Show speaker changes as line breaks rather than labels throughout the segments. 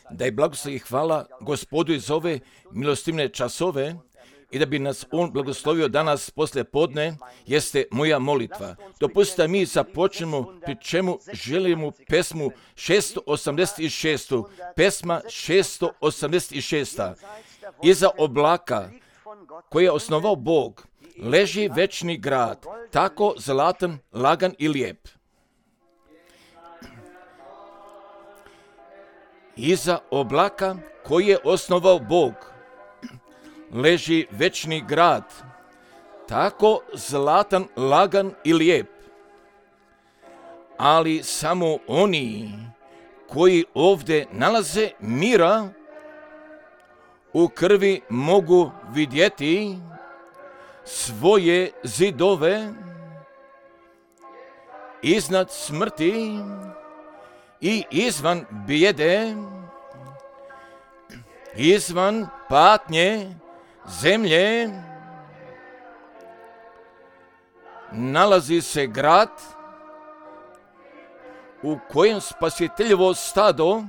da je blagoslov i hvala Gospodu iz ove milostivne časove i da bi nas On blagoslovio danas poslije podne, jeste moja molitva. Dopustite mi započnemo, pri čemu želimo pesmu 686. Pesma 686. Iza oblaka koje je osnovao Bog leži večni grad, tako zlatan, lagan i lijep. Iza oblaka koji je osnovao Bog leži večni grad, tako zlatan, lagan i lijep. Ali samo oni koji ovdje nalaze mira u krvi mogu vidjeti svoje zidove iznad smrti i izvan bijede, izvan patnje zemlje nalazi se grad u kojem spasiteljevo stado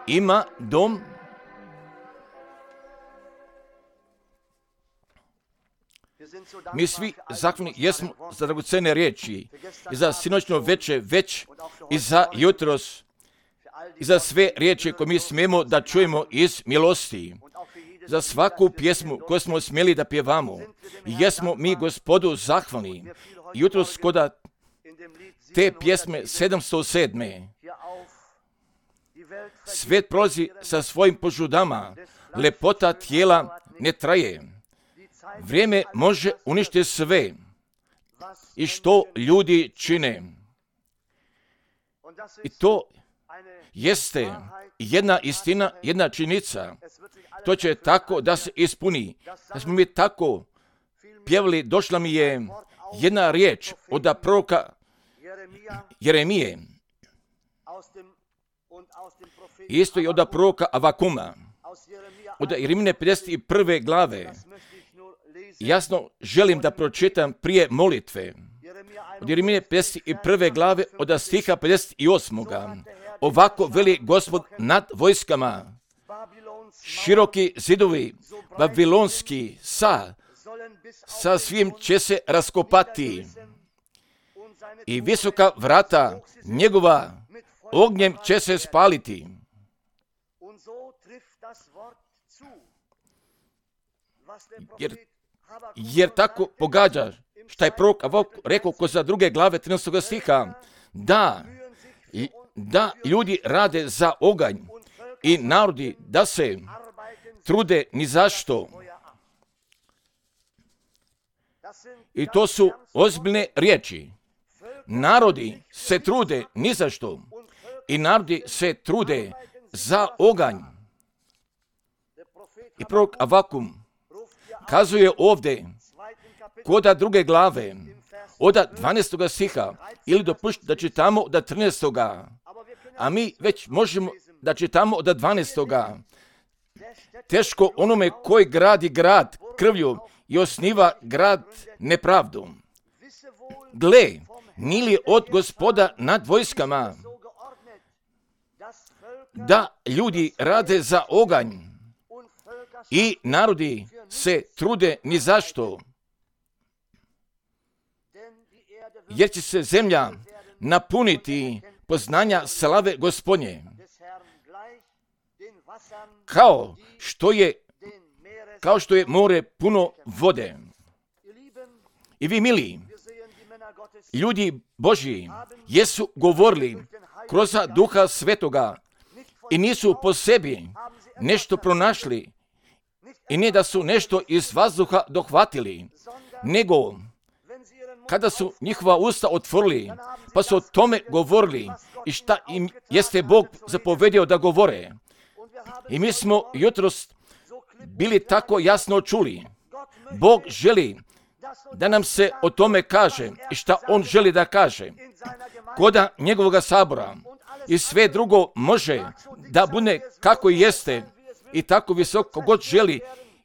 ima dom. Mi svi zahvalni jesmo za dragocene riječi i za sinoćno veče već i za jutros i za sve riječi koje mi smijemo da čujemo iz milosti. Za svaku pjesmu koju smo smjeli da pjevamo. Jesmo mi Gospodu zahvalni. Jutros koda te pjesme 707. Svijet prolazi sa svojim požudama. Lepota tijela ne traje. Vrijeme može uništiti sve i što ljudi čine. I to jeste jedna istina, jedna činjenica. To će tako da se ispuni. Da smo mi tako pjevali, došla mi je jedna riječ od proroka Jeremije. Isto i od proroka Avakuma. Od Jeremine 51. glave. Jasno želim da pročitam prije molitve. Od Jeremine 51. glave od stiha 58. Ovako veli Gospod nad vojskama. Široki zidovi babilonski sa svim će se raskopati i visoka vrata njegova ognjem će se spaliti. Jer tako pogađa šta je prorok Avak rekao ko za 2. glave 13. stiha, da ljudi rade za oganj i narodi da se trude ni zašto. I to su ozbiljne riječi. Narodi se trude ni zašto i narodi se trude za oganj. I prorok Avakum kazuje ovdje koda 2. glave od 12. stiha ili dopušti da čitamo od 13. A mi već možemo da čitamo od 12. Teško onome koji gradi grad krvlju i osniva grad nepravdom. Gle, nije li od Gospoda nad vojskama da ljudi rade za oganj i narodi se trude ni zašto, jer će se zemlja napuniti slave Gospodnje, kao što je more puno vode. I vi, mili, ljudi Božji, jesu govorili kroz Duha Svetoga i nisu po sebi nešto pronašli i ne da su nešto iz vazduha dohvatili, nego kada su njihova usta otvorili, pa su o tome govorili i šta im jeste Bog zapovedio da govore. I mi smo jutros bili tako jasno čuli. Bog želi da nam se o tome kaže i šta On želi da kaže. Koda njegovoga sabora i sve drugo može da bude kako jeste i tako visoko god želi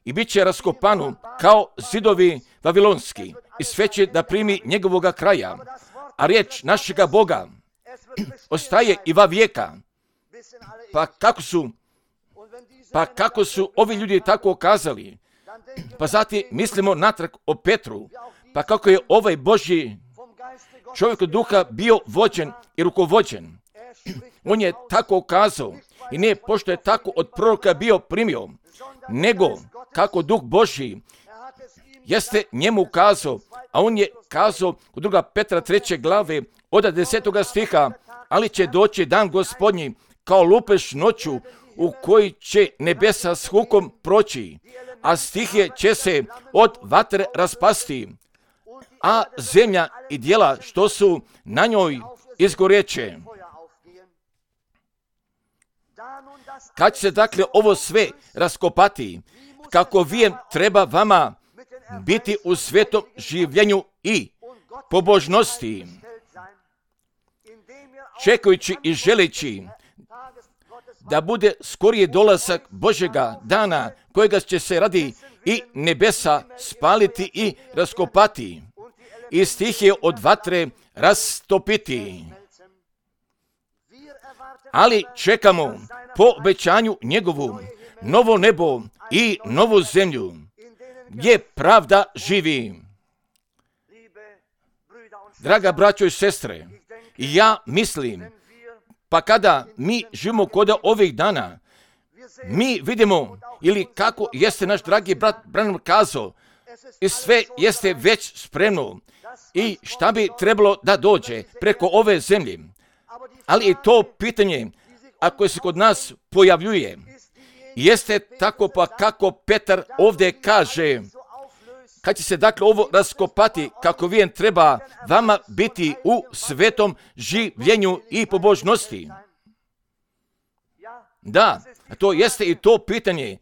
i bit će raskopano kao zidovi vavilonski i sve će da primi njegovoga kraja. A riječ našega Boga ostaje i va vijeka. Pa kako su ovi ljudi tako kazali? Pa zatim mislimo natrag o Petru, pa kako je ovaj Božji čovjek od duha bio vođen i rukovođen. On je tako kazao i ne pošto je tako od proroka bio primio, nego kako duh Božji jeste njemu kazao, a on je kazao u 2. Petra 3. glave od 10. stiha, ali će doći dan Gospodnji kao lupež noću u koji će nebesa s hukom proći, a stihije će se od vatre raspasti, a zemlja i djela što su na njoj izgoreće. Kad će se dakle ovo sve raskopati, kako vijem treba vama biti u svetom življenju i pobožnosti, čekajući i želeći da bude skorije dolazak Božjega dana, kojega će se radi i nebesa spaliti i raskopati, i stihije od vatre rastopiti. Ali čekamo po obećanju njegovu novo nebo i novu zemlju, gdje pravda živi. Draga braćo i sestre, ja mislim, pa kada mi živimo kod ovih dana, mi vidimo, ili kako jeste naš dragi brat Branham kazao, i sve jeste već spremno i šta bi trebalo da dođe preko ove zemlje. Ali i to pitanje, ako se kod nas pojavljuje, jeste tako pa kako Petar ovdje kaže, kad će se dakle ovo raskopati, kako vijem treba vama biti u svetom življenju i pobožnosti. Da, to jeste i to pitanje.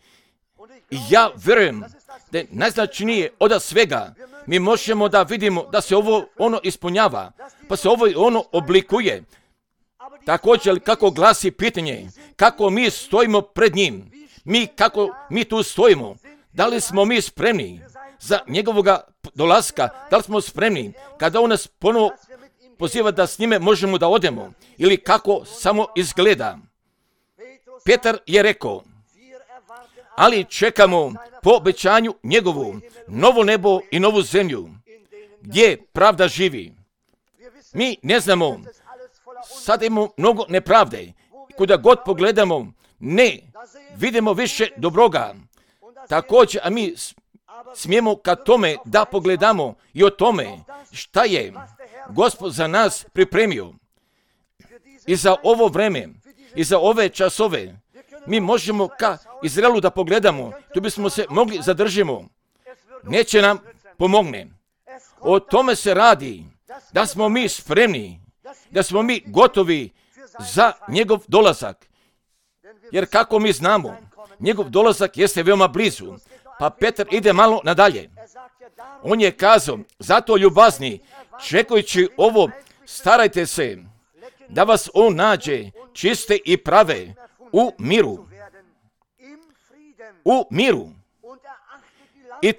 Ja vjerujem da je najznačajnije od svega. Mi možemo da vidimo da se ovo ono ispunjava, pa se ovo ono oblikuje. Također kako glasi pitanje, kako mi stojimo pred njim, kako mi tu stojimo, da li smo mi spremni za njegovoga dolaska, da li smo spremni kada on nas ponovo poziva da s njime možemo da odemo, ili kako samo izgleda. Petar je rekao, ali čekamo po obećanju njegovu novo nebo i novu zemlju, gdje pravda živi. Mi ne znamo, sad imamo mnogo nepravde, kuda god pogledamo, ne vidimo više dobroga. Također, a mi smijemo ka tome da pogledamo i o tome šta je Gospod za nas pripremio. I za ovo vreme, i za ove časove, mi možemo ka Izraelu da pogledamo, tu bismo se mogli zadržimo. Neće nam pomogne. O tome se radi, da smo mi spremni, da smo mi gotovi za njegov dolazak. Jer kako mi znamo, njegov dolazak jeste veoma blizu. Pa Petar ide malo nadalje. On je kazao, zato ljubazni, čekajući ovo, starajte se da vas on nađe čiste i prave u miru. U miru. I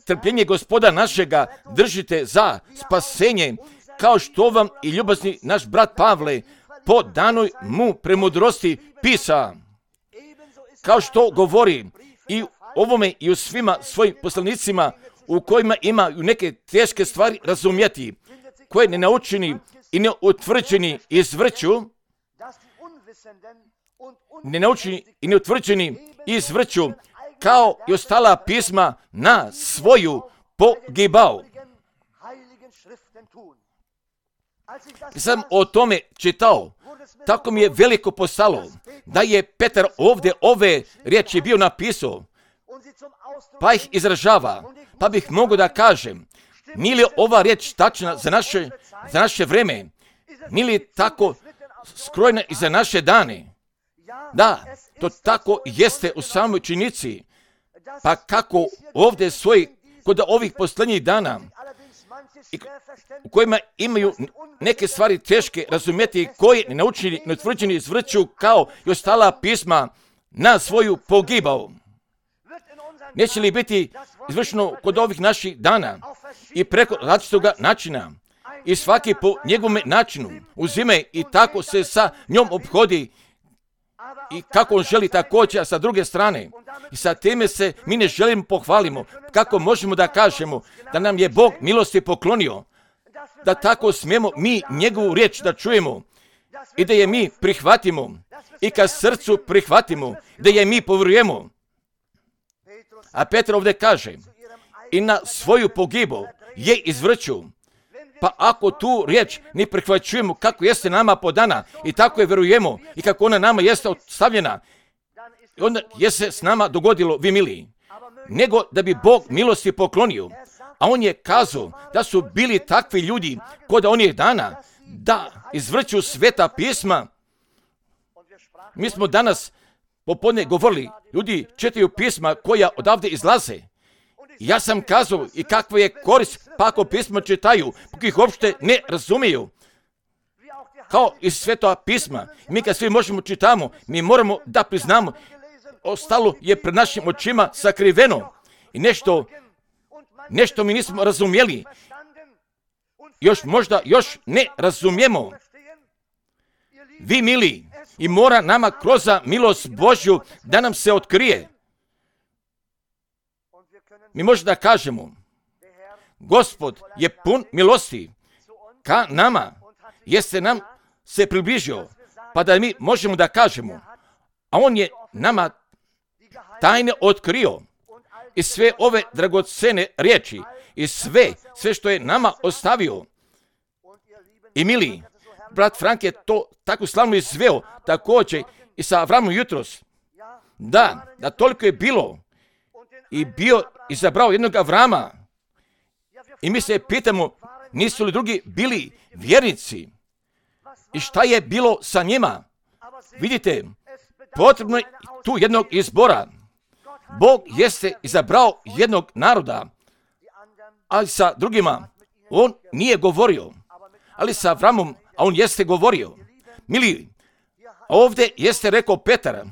trpljenje Gospoda našega držite za spasenje, kao što vam i ljubazni naš brat Pavle po danoj mu premudrosti pisa. Kao što govori i ovome i u svima svojim poslanicima u kojima imaju neke teške stvari razumjeti, koje ne naučeni i ne utvrđeni izvrću, izvrću, kao i ostala pisma na svoju pogibao. I sam o tome čitao, tako mi je veliko postalo, da je Petar ovdje ove riječi bio napisao, pa ih izražava, pa bih mogao da kažem, nije li ova riječ tačna za naše vreme, nije li tako skrojena i za naše dane? Da, to tako jeste u samoj činjenici, pa kako ovdje stoji kod ovih posljednjih dana, u kojima imaju neke stvari teške razumjeti, koji nenaučeni, neutvrđeni izvrću kao i ostala pisma na svoju pogibao. Neće li biti izvršeno kod ovih naših dana i preko različitog načina i svaki po njegovom načinu uzime i tako se sa njom obhodi i kako on želi također sa druge strane. I sa time se mi ne želimo pohvalimo. Kako možemo da kažemo da nam je Bog milosti poklonio, da tako smijemo mi njegovu riječ da čujemo i da je mi prihvatimo i ka srcu prihvatimo, da je mi povjerujemo. A Petar ovdje kaže, i na svoju pogibu je izvrću. Pa ako tu riječ ne prihvaćujemo kako jeste nama podana i tako je vjerujemo i kako ona nama jeste ostavljena, onda je se s nama dogodilo, vi miliji, nego da bi Bog milosti poklonio. A on je kazao da su bili takvi ljudi kod onih dana da izvrću sveta pisma. Mi smo danas popodne govorili, ljudi čitaju pisma koja odavde izlaze. Ja sam kazao i kakva je korist pa ako pisma čitaju, pa ih uopšte ne razumiju. Kao iz sveta pisma, mi kad svi možemo čitamo, mi moramo da priznamo, ostalo je pred našim očima sakriveno i nešto mi nismo razumjeli. Još ne razumijemo. Vi mili, i mora nama kroz milost Božju da nam se otkrije. Mi možemo da kažemo, Gospod je pun milosti ka nama, jeste nam se približio, pa da mi možemo da kažemo, a on je nama tajne otkrio i sve ove dragocene riječi i sve što je nama ostavio. I mili, brat Frank je to tako slavno izveo također i sa Avramom jutros. Da toliko je bilo i bio izabrao jednog Avrama. I mi se pitamo, nisu li drugi bili vjernici? I šta je bilo sa njima? Vidite, potrebno je tu jednog izbora. Bog jeste izabrao jednog naroda, ali sa drugima on nije govorio. Ali sa Avramom, a on jeste govorio. Mili, ovdje jeste rekao Petar,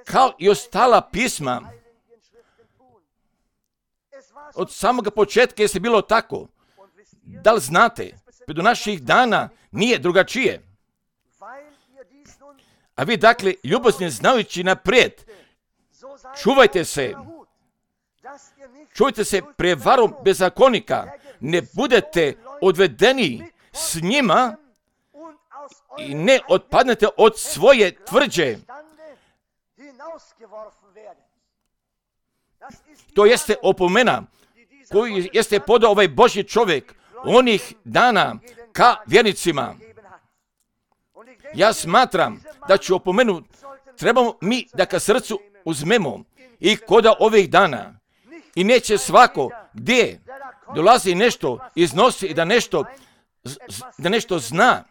kao i ostala pisma, od samoga početka jeste bilo tako. Da li znate, do naših dana nije drugačije. A vi dakle, ljubazni znajući naprijed, čuvajte se prevarom bezakonika, ne budete odvedeni s njima i ne otpadnete od svoje tvrđe. To jeste opomena koju jeste podao ovaj Božji čovjek onih dana ka vjernicima. Ja smatram da ću opomenu trebamo mi da ka srcu uzmemo i koda ovih dana. I neće svako gdje dolazi nešto, iznosi i da nešto zna,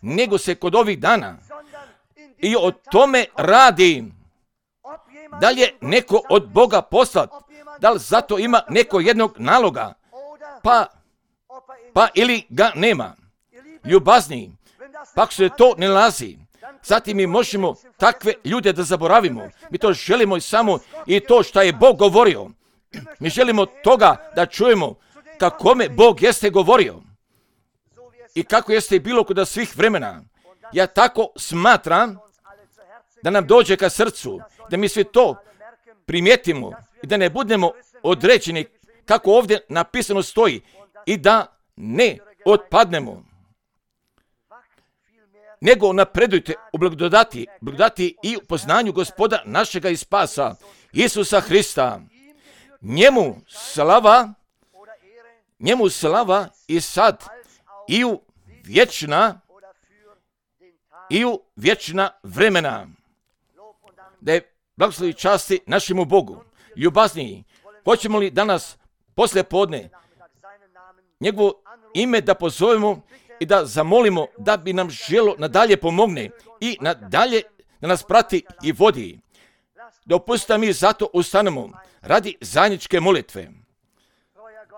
nego se kod ovih dana. I o tome radi. Da li je neko od Boga poslat? Da li zato ima neko jednog naloga? Pa ili ga nema? Ljubazni, pa ako se to ne nalazi, zatim mi možemo takve ljude da zaboravimo. Mi to želimo i samo i to što je Bog govorio. Mi želimo toga da čujemo kakome Bog jeste govorio i kako jeste bilo kod svih vremena. Ja tako smatram da nam dođe ka srcu, da mi svi to primijetimo i da ne budemo određeni kako ovdje napisano stoji i da ne otpadnemo. Nego napredujte u blagodati i u poznanju Gospoda našega i spasa, Isusa Hrista. Njemu slava i sad i u vječna vremena. Da je blagoslovi časti našemu Bogu. Ljubazniji, hoćemo li danas poslije podne njegovo ime da pozovemo i da zamolimo da bi nam želo nadalje pomogne i nadalje da nas prati i vodi. Dopustite mi zato ustanemo radi zajedničke molitve.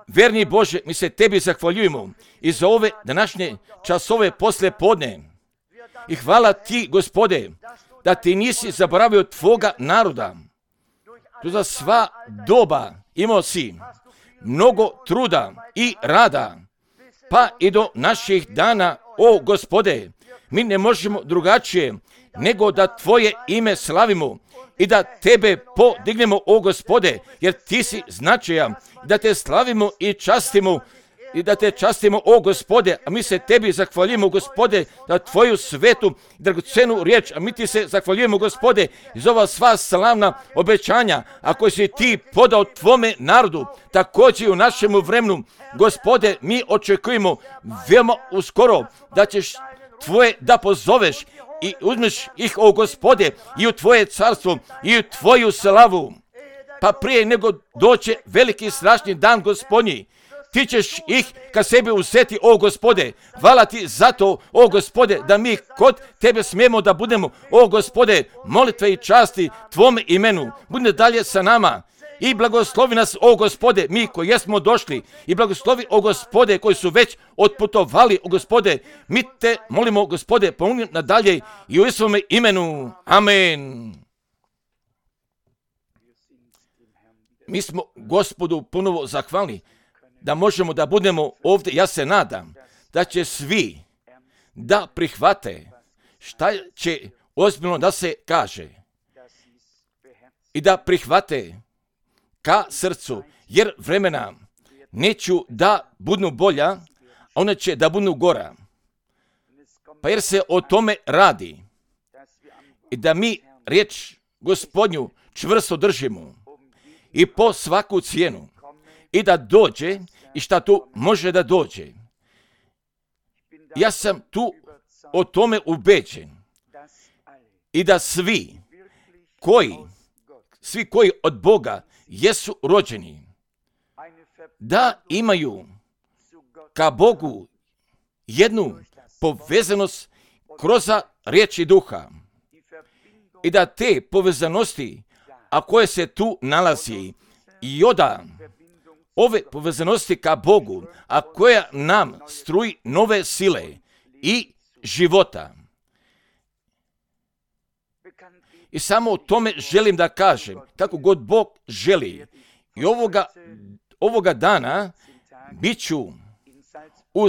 Verni Bože, mi se tebi zahvaljujemo i za ove današnje časove poslije podne. I hvala ti, Gospode, da ti nisi zaboravio tvoga naroda. Za sva doba imao si mnogo truda i rada, pa i do naših dana, o Gospode, mi ne možemo drugačije nego da Tvoje ime slavimo i da Tebe podignemo, o Gospode, jer Ti si značajan, da Te slavimo i častimo, i da Te častimo, o Gospode, a mi se Tebi zahvaljujemo, Gospode, za Tvoju svetu, dragocenu riječ, a mi Ti se zahvaljujemo, Gospode, iz ova sva slavna obećanja, a koje si Ti podao Tvome narodu, također i u našemu vremenu, Gospode, mi očekujemo veoma uskoro da ćeš Tvoje da pozoveš i uzmeš ih, o Gospode, i u Tvoje carstvo, i u Tvoju slavu. Pa prije nego doće veliki i strašni dan Gospodnji, Ti ćeš ih ka sebi uzeti, o Gospode. Hvala Ti za to, o Gospode, da mi kod Tebe smijemo da budemo, o Gospode, molitve i časti Tvome imenu. Budi dalje sa nama i blagoslovi nas, o Gospode, mi koji jesmo došli, i blagoslovi, o Gospode, koji su već otputovali, o Gospode. Mi Te molimo, Gospode, pomogni nadalje i u Isuvome imenu. Amen. Mi smo Gospodu ponovo zahvalni da možemo da budemo ovdje. Ja se nadam da će svi da prihvate šta će ozbiljno da se kaže i da prihvate ka srcu, jer vremena neću da budu bolja, a one će da budu gora. Pa jer se o tome radi i da mi riječ Gospodnju čvrsto držimo i po svaku cijenu, i da dođe i šta tu može da dođe. Ja sam tu o tome ubeđen i da svi koji od Boga jesu rođeni, da imaju ka Bogu jednu povezanost kroz riječi duha i da te povezanosti, a koje se tu nalazi, i oda ove povezanosti ka Bogu, a koja nam struji nove sile i života. I samo o tome želim da kažem, kako god Bog želi. I ovoga dana bit ću u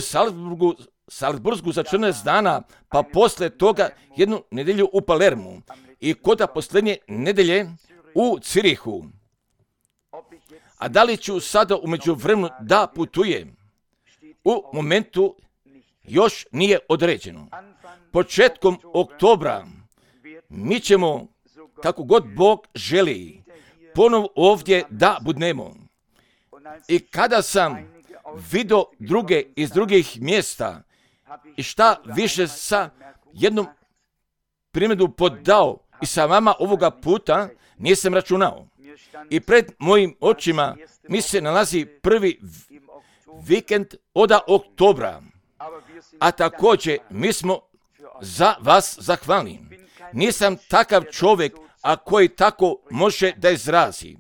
Salzburgu za 14 dana, pa posle toga jednu nedjelju u Palermu i kod posljednje nedelje u Cirihu. A da li ću sada u međuvremenu da putujem? U momentu još nije određeno. Početkom oktobra mi ćemo, kako god Bog želi, ponovo ovdje da budemo. I kada sam vidio druge iz drugih mjesta i šta više sa jednom primjeru podao i sa vama ovoga puta nisam računao. I pred mojim očima mi se nalazi prvi vikend od oktobra, a također mi smo za vas zahvalni. Nisam takav čovjek, a koji tako može da izrazi.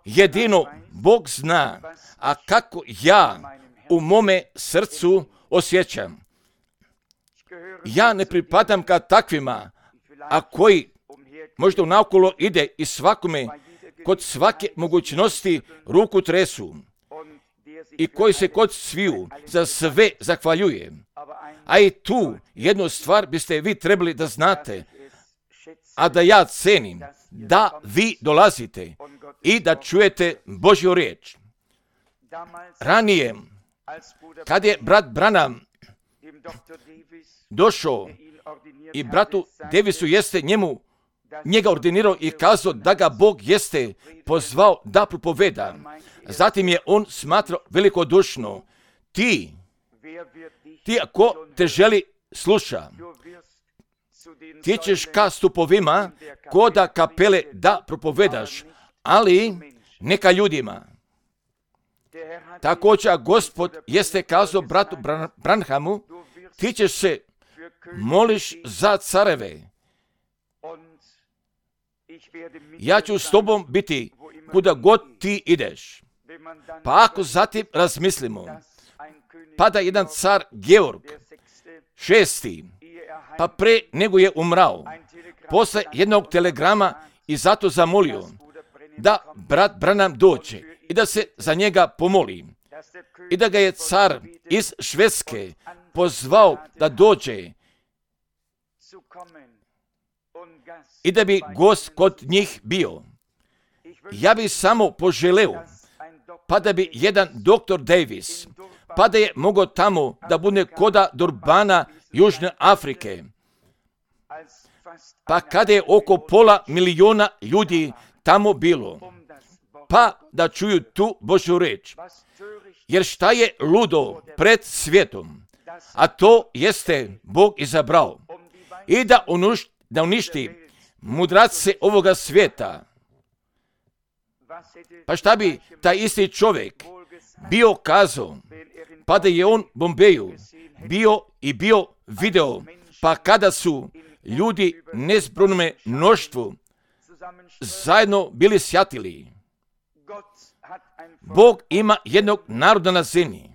Jedino Bog zna, a kako ja u mome srcu osjećam. Ja ne pripadam ka takvima, a koji možda naokolo ide i svakome kod svake mogućnosti ruku tresu i koji se kod sviju za sve zahvaljuje. A i tu jednu stvar biste vi trebali da znate, a da ja cenim, da vi dolazite i da čujete Božju riječ. Ranije, kad je brat Branham došao i bratu Davisu jeste njega ordinirao i kazao da ga Bog jeste pozvao da propoveda. Zatim je on smatrao velikodušno, ti ako te želi sluša, ti ćeš ka stupovima koda kapele da propovedaš, ali neka ljudima. Također Gospod jeste kazao bratu Branhamu, ti ćeš se moliš za careve. Ja ću s tobom biti kuda god ti ideš. Pa ako zatim razmislimo, pa da jedan car Georg VI, pa pre nego je umrao, posle jednog telegrama i zato zamolio da brat Branham dođe i da se za njega pomoli. I da ga je car iz Švedske pozvao da dođe i da bi gost kod njih bio. Ja bih samo poželeo, pa da bi jedan dr. Davis, pa da je mogao tamo da bude koda Durbana Južne Afrike, pa kada je oko 500.000 ljudi tamo bilo, pa da čuju tu Božju reč. Jer šta je ludo pred svijetom, a to jeste Bog izabrao i da uništi mudrace ovoga svijeta. Pa šta bi taj isti čovjek bio kazao, pa da je on Bombeju bio video, pa kada su ljudi nezbrojnome mnoštvu zajedno bili sjatili. Bog ima jednog naroda na zemlji,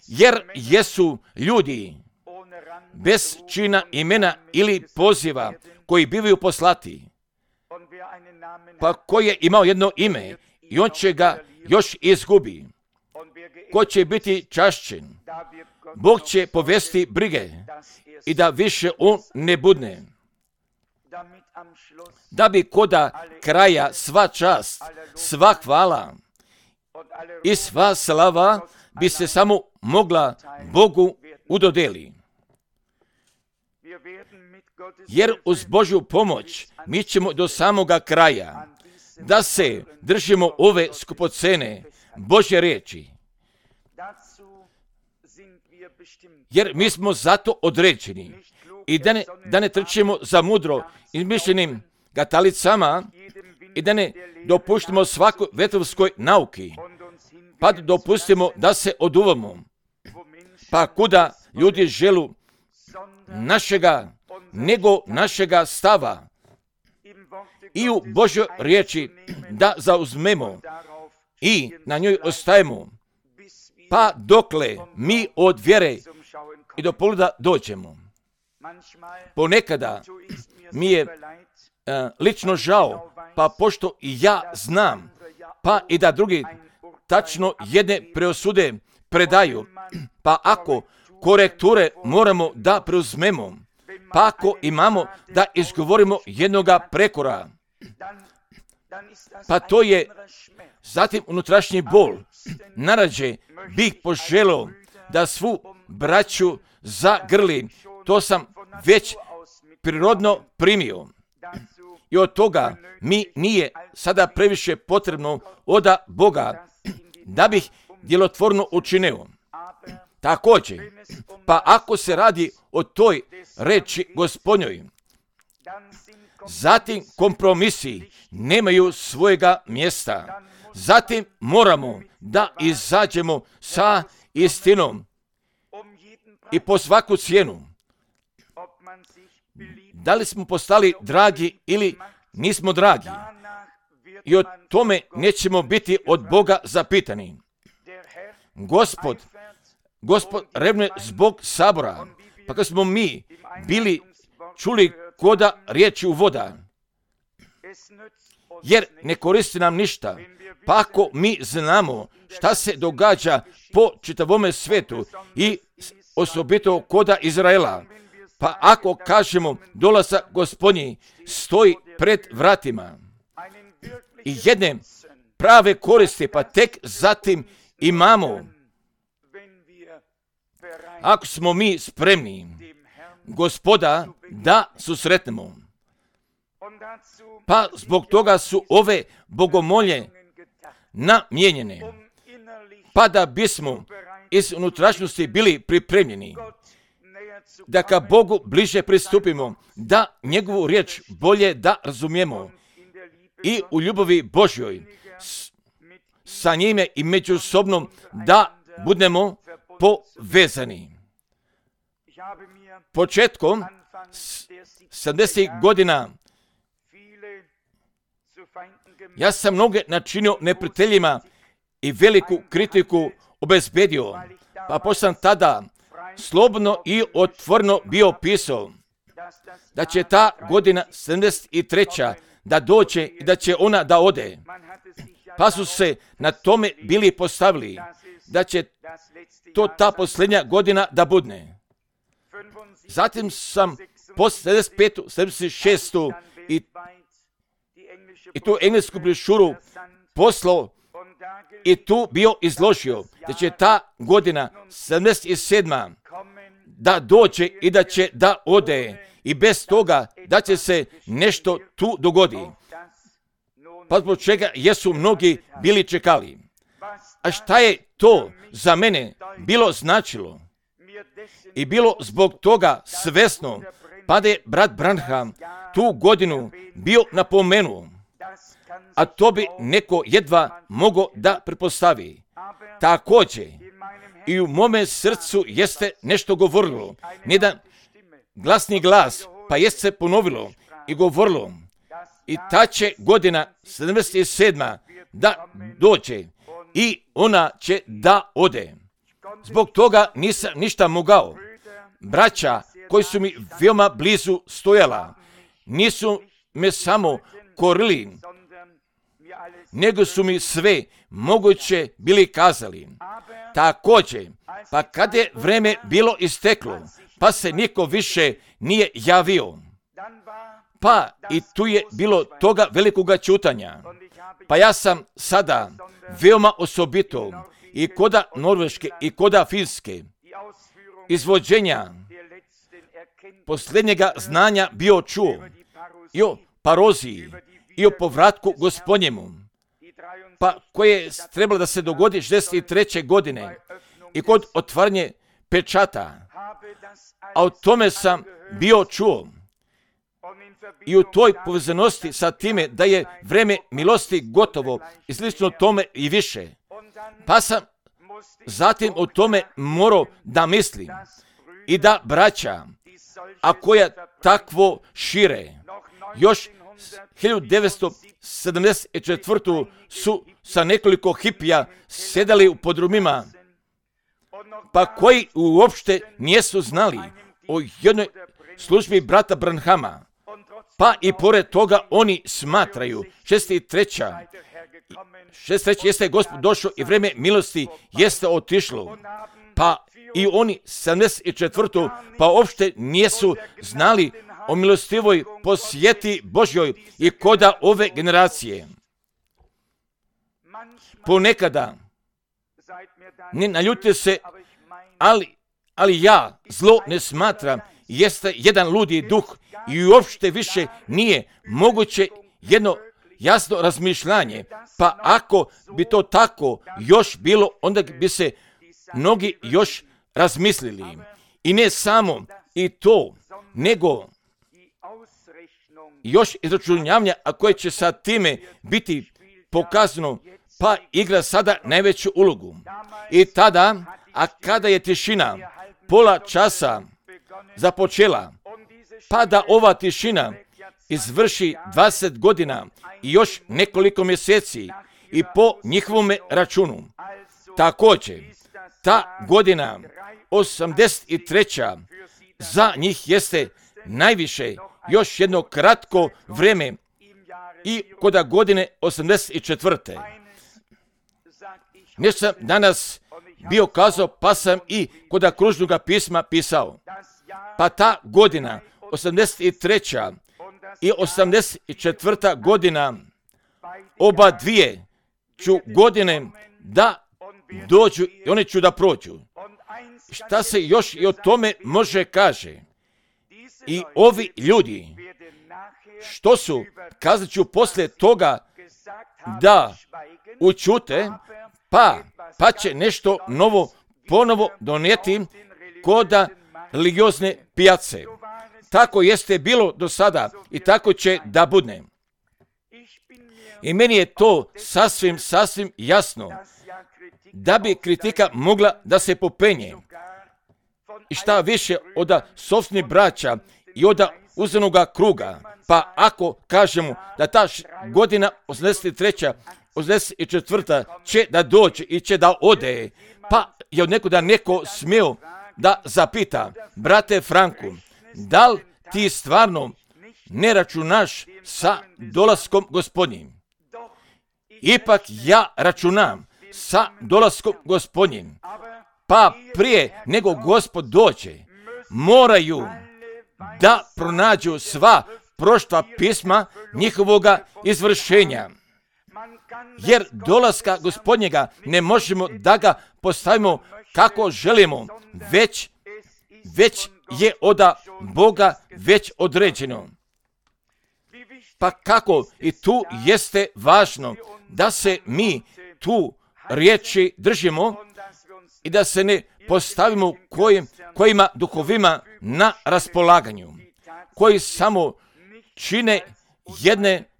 jer jesu ljudi bez čina imena ili poziva koji bivaju poslati, pa ko je imao jedno ime i on će ga još izgubi. Ko će biti čašćen, Bog će povesti brige i da više on ne budne. Da bi koda kraja sva čast, sva hvala i sva slava bi se samo mogla Bogu udodeli. Jer uz Božju pomoć mi ćemo do samoga kraja da se držimo ove skupocene Božje riječi. Jer mi smo zato određeni i da ne trčimo za mudro izmišljenim gatalicama i da ne dopuštimo svakoj vetrovskoj nauki, pa da dopustimo da se oduvamo. Pa kuda ljudi želu našega, nego našega stava i u Božoj riječi da zauzmemo i na njoj ostajemo, pa dokle mi od vjere i do poluda dođemo. Ponekada mi je lično žao, pa pošto i ja znam, pa i da drugi tačno jedne preosude predaju, pa ako korekture moramo da preuzmemo, pa ako imamo da izgovorimo jednoga prekora, pa to je zatim unutrašnji bol. Narađe bih poželio da svu braću zagrli, to sam već prirodno primio. I od toga mi nije sada previše potrebno oda Boga da bih djelotvorno učinio. Također, pa ako se radi o toj reči Gospodnjoj, zatim kompromisi nemaju svojega mjesta. Zatim moramo da izađemo sa istinom i po svaku cijenu. Da li smo postali dragi ili nismo dragi? I o tome nećemo biti od Boga zapitani. Gospod revne zbog sabora, pa kad smo mi bili čuli koda riječi u voda, jer ne koristi nam ništa, pa ako mi znamo šta se događa po čitavome svijetu i osobito koda Izraela, pa ako kažemo dolazak Gospodnji stoji pred vratima i jedne prave koristi, pa tek zatim imamo, ako smo mi spremni Gospoda da susretnemo. Pa zbog toga su ove bogomolje namijenjene, pa da bismo iz unutrašnjosti bili pripremljeni, da ka Bogu bliže pristupimo, da njegovu riječ bolje da razumijemo i u ljubavi Božjoj sa njime i međusobno da budemo povezani. Početkom 70. godina ja sam mnoge načinio neprijateljima i veliku kritiku obezbedio, pa pošto sam tada slobodno i otvoreno bio pisao da će ta godina 73. da dođe i da će ona da ode. Pa su se na tome bili postavili da će to ta posljednja godina da budne. Zatim sam posle 75. 76. i tu englesku brošuru poslao i tu bio izložio da će ta godina 77. da dođe i da će da ode i bez toga da će se nešto tu dogodi. Pa zbog čega jesu mnogi bili čekali. A šta je to za mene bilo značilo? I bilo zbog toga svesno, pa da je brat Branham tu godinu bio napomenuo, a to bi neko jedva mogao da pretpostavi. Također, i u mome srcu jeste nešto govorilo, jedan glasni glas, pa jest se ponovilo i govorilo, i ta će godina 77. da dođe i ona će da ode. Zbog toga nisam ništa mogao. Braća koji su mi veoma blizu stojala, nisu me samo korili, nego su mi sve moguće bili kazali. Također, pa kad je vreme bilo isteklo, pa se niko više nije javio, pa i tu je bilo toga velikoga čutanja. Pa ja sam sada veoma osobito i koda Norveške i koda Finske izvođenja posljednjega znanja bio čuo i o paroziji i o povratku Gospodnjemu, pa koje je trebalo da se dogodi 63. godine i kod otvaranje pečata, a o tome sam bio čuo. I u toj povezanosti sa time da je vreme milosti gotovo i slično tome i više. Pa sam zatim o tome morao da mislim i da braća, a koja takvo šire, još 1974. su sa nekoliko hipija sedali u podrumima, pa koji uopšte nijesu znali o jednoj službi brata Branhama. Pa i pored toga oni smatraju 63. jeste Gospod došao i vreme milosti jeste otišlo. Pa i oni 74. pa uopšte nijesu znali o milostivoj posjeti Božjoj i koda ove generacije. Ponekada, ne naljutite se, ali ja zlo ne smatram, jeste jedan ludi duh i uopšte više nije moguće jedno jasno razmišljanje. Pa ako bi to tako još bilo, onda bi se mnogi još razmislili. I ne samo i to, nego još izračunavanja, a koje će sa time biti pokazano, pa igra sada najveću ulogu. I tada, a kada je tišina pola časa započela, pa da ova tišina izvrši 20 godina i još nekoliko mjeseci i po njihovom računu. Također, ta godina 83. za njih jeste najviše još jedno kratko vreme i koda godine 84. Nešto sam danas bio kazao, pa sam i koda kružnoga pisma pisao. Pa ta godina 83. i 84. godina, oba dvije ću godine da dođu i one ću da prođu. Šta se još i o tome može kaže? I ovi ljudi, što su, kazat ću poslije toga da učute, pa će nešto novo ponovo donijeti koda religiozne pijace. Tako jeste bilo do sada i tako će da budne. I meni je to sasvim jasno, da bi kritika mogla da se popenje. I šta više od sopstvenih braća i od uzemnoga kruga, pa ako kažemo da ta godina 83. 84. će da dođe i će da ode, pa je od nekoga neko smio da zapita, brate Franku, da li ti stvarno ne računaš sa dolaskom Gospodnjim? Ipak ja računam sa dolaskom Gospodnjim. Pa prije nego Gospod dođe, moraju da pronađu sva prošla pisma njihovoga izvršenja. Jer dolaska Gospodnjega ne možemo da ga postavimo kako želimo, već je od Boga već određeno. Pa kako i tu jeste važno da se mi tu riječi držimo i da se ne postavimo kojima duhovima na raspolaganju, koji samo čine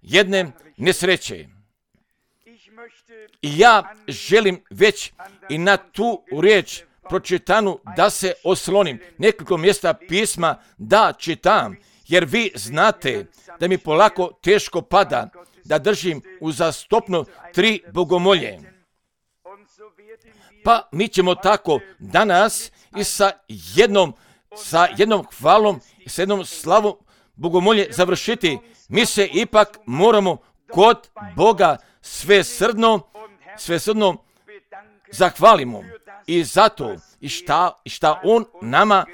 jedne nesreće. I ja želim već i na tu riječ pročitanu da se oslonim. Nekoliko mjesta pisma da čitam, jer vi znate da mi polako teško pada da držim uzastopno 3 bogomolje. Pa mi ćemo tako danas i sa jednom hvalom i sa jednom slavom bogomolje završiti. Mi se ipak moramo kod Boga svesrdno zahvalimo i zato i šta On na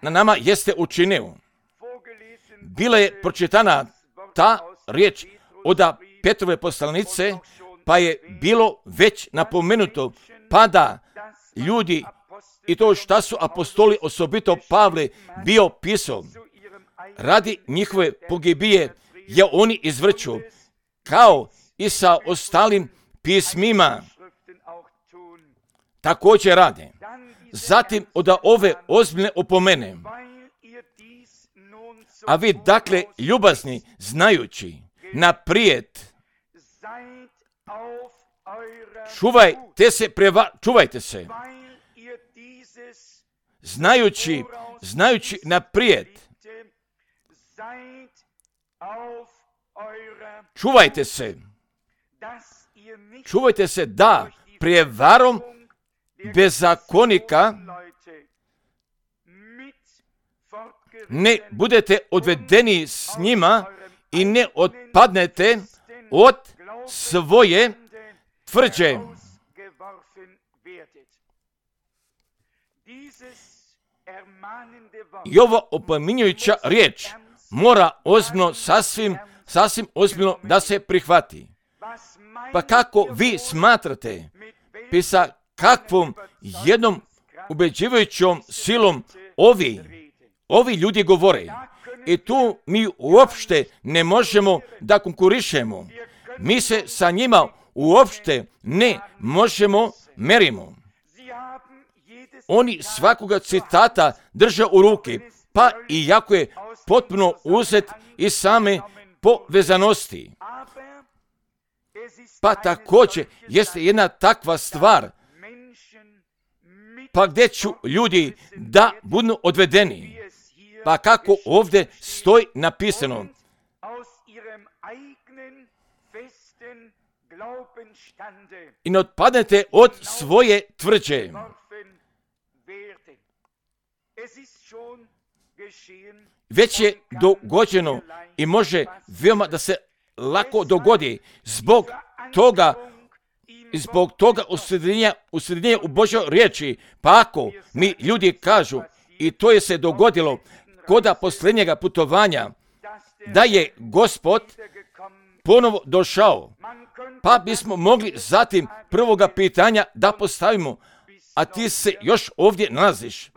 nama jeste učinio. Bila je pročitana ta riječ od Petrove poslanice, pa je bilo već napomenuto, pa da ljudi i to šta su apostoli, osobito Pavle, bio pisao, radi njihove pogibije je oni izvrću, kao i sa ostalim pismima također rade. Zatim od ove ozbiljne opomene. A vi dakle ljubazni, znajući naprijed, čuvajte se, znajući naprijed, čuvajte se da prijevarom bezakonika ne budete odvedeni s njima i ne otpadnete od svoje tvrđe. I ova opominjujuća riječ mora ozbiljno, sasvim ozbiljno da se prihvati. Pa kako vi smatrate, sa kakvom jednom ubeđivajućom silom ovi ljudi govore. I tu mi uopšte ne možemo da konkurišemo. Mi se sa njima uopšte ne možemo merimo. Oni svakoga citata drže u ruki, pa iako je potpuno uzet iz same povezanosti. Pa također jeste jedna takva stvar, pa gdje ću ljudi da budu odvedeni. Pa kako ovdje stoji napisano, i ne otpadnete od svoje tvrđe. Već je dogođeno i može veoma da se lako dogodi zbog toga usrednjenja u Božoj riječi. Pa ako mi ljudi kažu, i to je se dogodilo koda posljednjega putovanja, da je Gospod ponovo došao, pa bismo mogli zatim prvoga pitanja da postavimo, a ti se još ovdje nalaziš.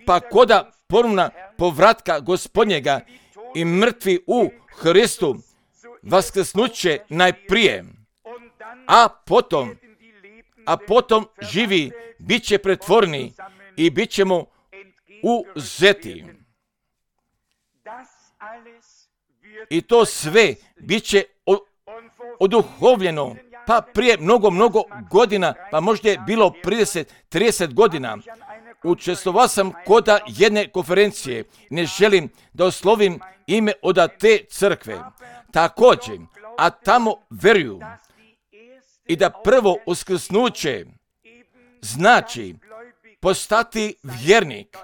Pa koda ponovna povratka Gospodnjega i mrtvi u Hristu vaskrsnuće najprije, a potom živi bit će pretvoreni i bit ćemo uzeti. I to sve bit će oduhovljeno, pa prije mnogo godina, pa možda je bilo 30 godina. Učestvovao sam koda jedne konferencije, ne želim da oslovim ime od te crkve. Također, a tamo veruju i da prvo uskrsnuće znači postati vjernik.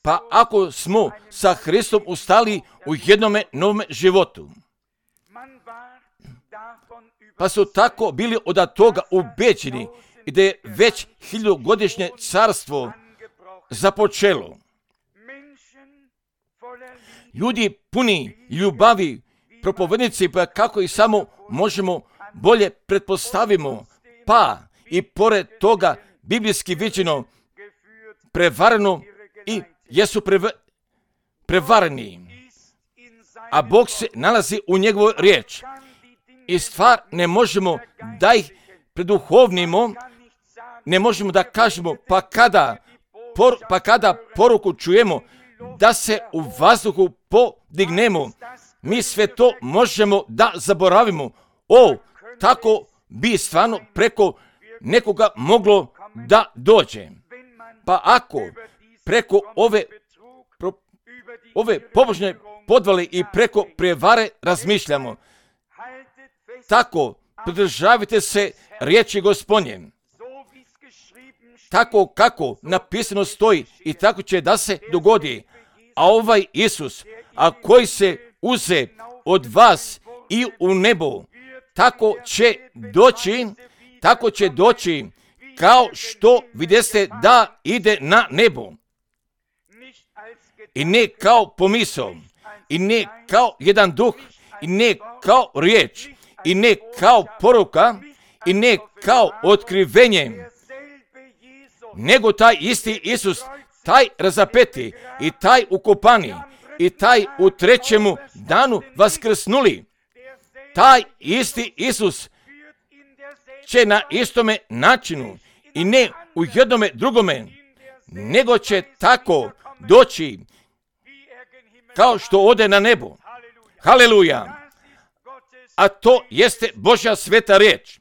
Pa ako smo sa Hristom ustali u jednome novome životu, pa su tako bili od toga ubeđeni i da je već 1000-godišnje carstvo započelo. Ljudi puni ljubavi, propovednici, pa kako ih samo možemo bolje pretpostavimo, pa i pored toga biblijski viđeno prevareno i jesu prevareni. A Bog se nalazi u njegovoj riječ. I stvar ne možemo da ih preduhovnimo, ne možemo da kažemo, pa kada poruku čujemo, da se u vazduhu podignemo, mi sve to možemo da zaboravimo. Tako bi stvarno preko nekoga moglo da dođe. Pa ako preko ove pobožne podvale i preko prevare razmišljamo, tako pridržavajte se riječi Gospodnje. Tako kako napisano stoji i tako će da se dogodi. A ovaj Isus, a koji se uze od vas i u nebo, tako će doći kao što videste da ide na nebo. I ne kao pomisao, i ne kao jedan duh, i ne kao riječ, i ne kao poruka, i ne kao otkrivenje, nego taj isti Isus, taj razapeti i taj ukopani i taj u 3. danu vaskrsnuli, taj isti Isus će na istome načinu i ne u jednome drugome, nego će tako doći kao što ode na nebo. Haleluja! A to jeste Božja sveta riječ.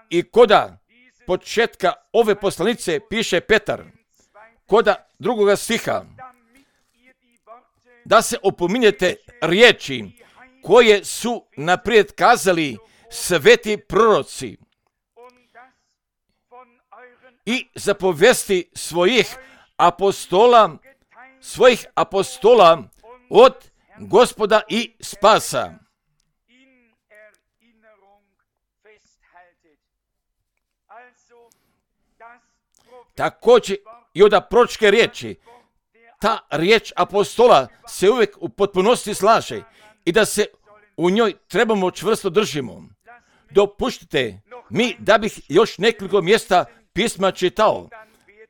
I koda početka ove poslanice piše Petar, koda 2. stiha, da se opominjete riječi koje su naprijed kazali sveti proroci i zapovesti svojih apostola od Gospoda i spasa. Također i od proročke riječi, ta riječ apostola se uvijek u potpunosti slaže i da se u njoj trebamo čvrsto držimo. Dopuštite mi da bih još nekoliko mjesta pisma čitao,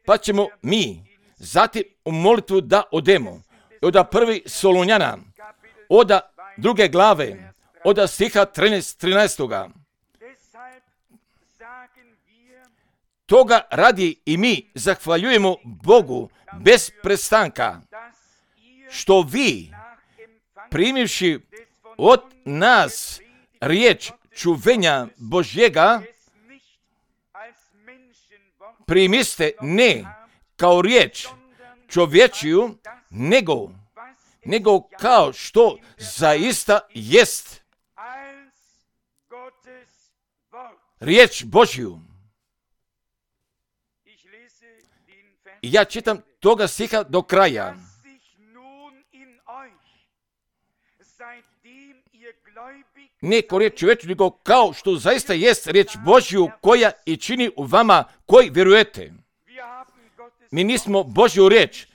pa ćemo mi zatim u molitvu da odemo. Od 1. Solunjana, od 2. glave, od stiha 13. Toga radi i mi zahvaljujemo Bogu bez prestanka, što vi, primivši od nas riječ čuvenja Božjega, primiste ne kao riječ čovječiju, nego kao što zaista jest riječ Božju. I ja čitam toga stiha do kraja. Ne kao riječ čovječiju, nego kao što zaista jest riječ Božju koja i čini u vama koji vjerujete. Mi nismo Božju riječ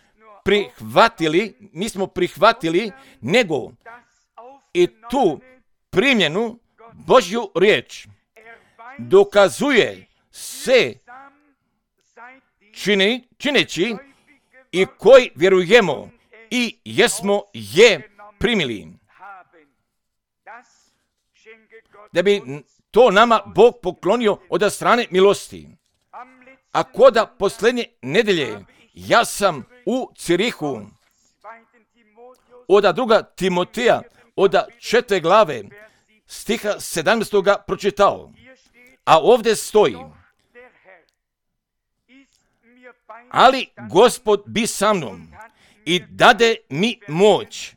prihvatili, nego i tu primljenu Božju riječ dokazuje se čineći i koji vjerujemo i jesmo je primili. Da bi to nama Bog poklonio od strane milosti. A koda posljednje nedelje ja sam u Cirihu od 2. Timoteja od 4. glave stiha 17. pročitao. A ovdje stoji: ali Gospod bi sa mnom i dade mi moć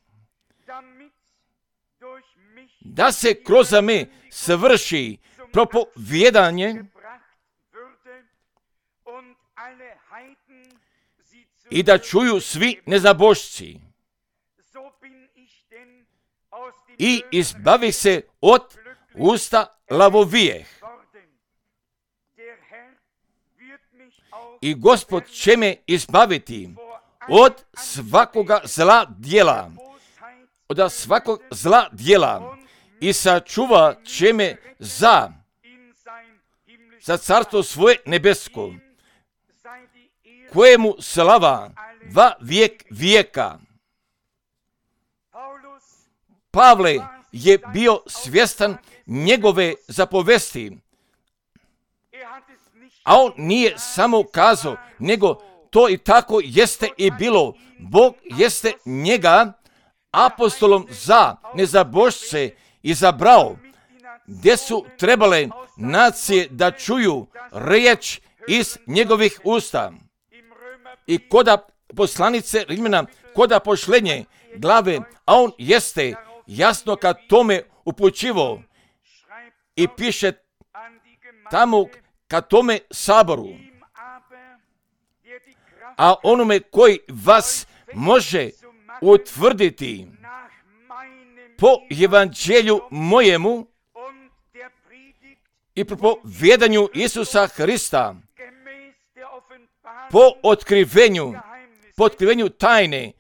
da se kroz me svrši propovijedanje i da čuju svi nezabošci i izbavi se od usta lavovijeh. I Gospod će me izbaviti od svakoga zla djela, od svakog zla djela i sačuva će me za carstvo svoje nebesko, kojemu slava va vijek vijeka. Pavle je bio svjestan njegove zapovesti, a on nije samo kazao, nego to i tako jeste i bilo. Bog jeste njega apostolom za nezabožce izabrao, gdje su trebale nacije da čuju riječ iz njegovih usta. I koda poslanice Rimljana, koda pošlenje glave, a on jeste jasno ka tome upućivo i piše tamo ka tome saboru. A onome koji vas može utvrditi po evanđelju mojemu i po povjedanju Isusa Hrista, po otkrivenju tajne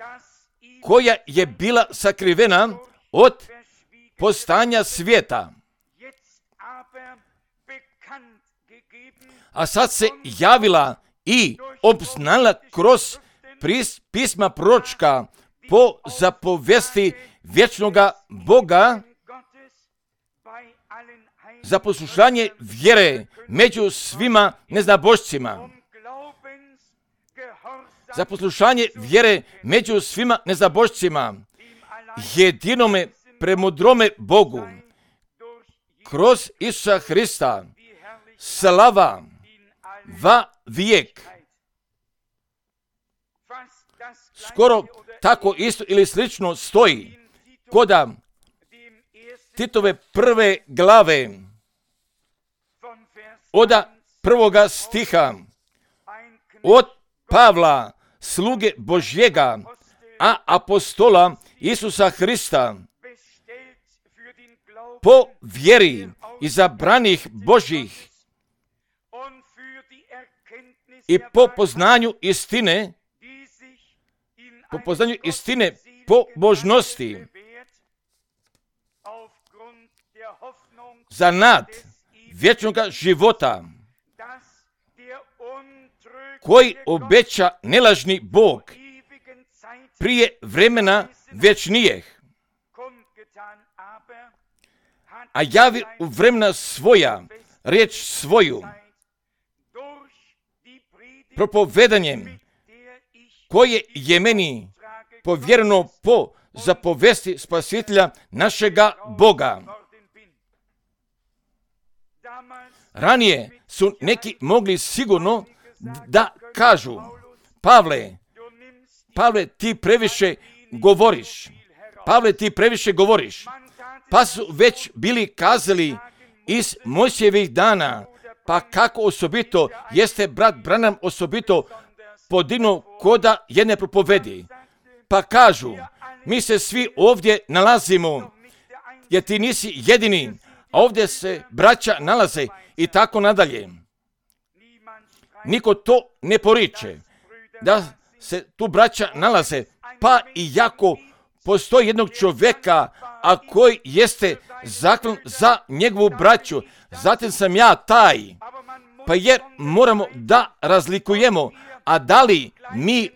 koja je bila sakrivena od postanja svijeta. A sad se javila i obznala kroz pisma proročka po zapovesti vječnoga Boga za poslušanje vjere među svima neznabošcima. Za poslušanje vjere među svima neznabošcima, jedinome premudrome Bogu, kroz Isusa Hrista, slava va vijek. Skoro tako isto ili slično stoji koda Titove prve glave od prvoga stiha, od Pavla, sluge Božjega, a apostola Isusa Hrista, po vjeri izabranih Božjih i po poznanju istine, po božnosti, za nad vječnoga života, koji obeća nelažni Bog prije vremena vječnijeg, a javi u vremena svoja riječ svoju propovedanjem koje je meni povjereno po zapovesti Spasitelja našega Boga. Ranije su neki mogli sigurno da kažu: Pavle, ti previše govoriš. Pa su već bili kazali iz Mojsijevih dana, pa kako osobito jeste brat Branham osobito podignuo koda jedne propovedi. Pa kažu, mi se svi ovdje nalazimo, jer ti nisi jedini, a ovdje se braća nalaze i tako nadalje. Niko to ne poriče, da se tu braća nalaze, pa i jako postoji jednog čovjeka, a koji jeste zaklan za njegovu braću, zatim sam ja taj. Pa jer moramo da razlikujemo, a da li mi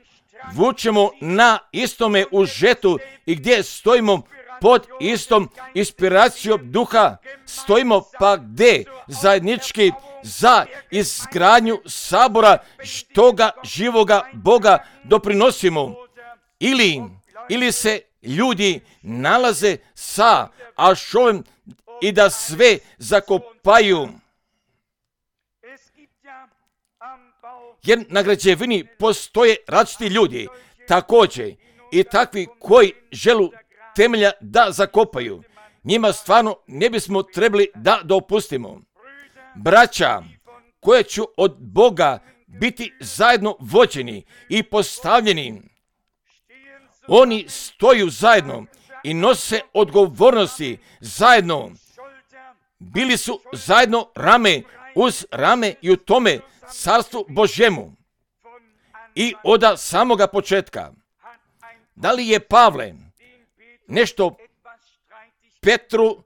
vučemo na istome užetu i gdje stojimo pod istom inspiracijom duha, stojimo pa gdje zajednički za izgradnju sabora toga živoga Boga doprinosimo, ili se ljudi nalaze sa ašovem i da sve zakopaju. Jer na građevini postoje različiti ljudi, također i takvi koji želu temelja da zakopaju. Njima stvarno ne bismo trebali da dopustimo. Braća koje će od Boga biti zajedno vođeni i postavljeni, oni stoju zajedno i nose odgovornosti zajedno bili su zajedno rame uz rame i u tome carstvu Božjemu. I od samoga početka. Da li je Pavle nešto Petru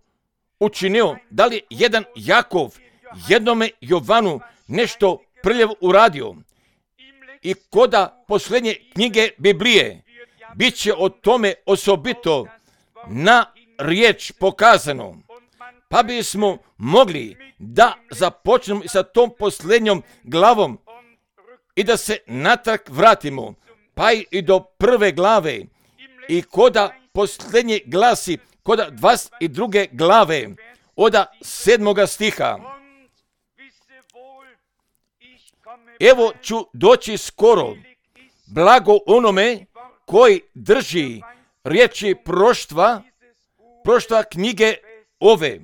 učinio? Da li jedan Jakov jednome Jovanu nešto prljavo uradio? I koda posljednje knjige Biblije bit će o tome osobito na riječ pokazano. Pa bismo mogli da započnemo sa tom posljednjom glavom i da se natrag vratimo, pa i do prve glave. I koda posljednje glasi, koda 22. glave, od 7. stiha. Evo ću doći skoro, blago onome koji drži riječi proštva knjige ove.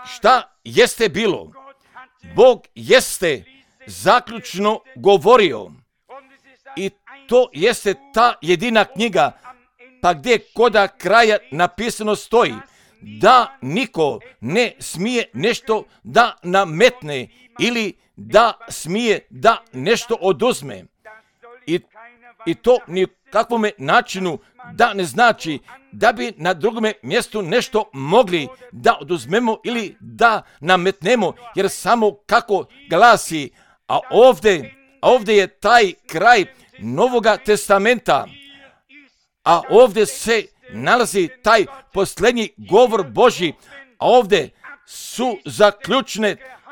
Šta jeste bilo? Bog jeste zaključno govorio. I to jeste ta jedina knjiga, pa gdje koda kraja napisano stoji da niko ne smije nešto da nametne ili da smije da nešto oduzme. I to ni kakvome načinu da ne znači da bi na drugome mjestu nešto mogli da oduzmemo ili da nametnemo, jer samo kako glasi, a ovdje je taj kraj Novoga testamenta, a ovdje se nalazi taj posljednji govor Božji, a ovdje su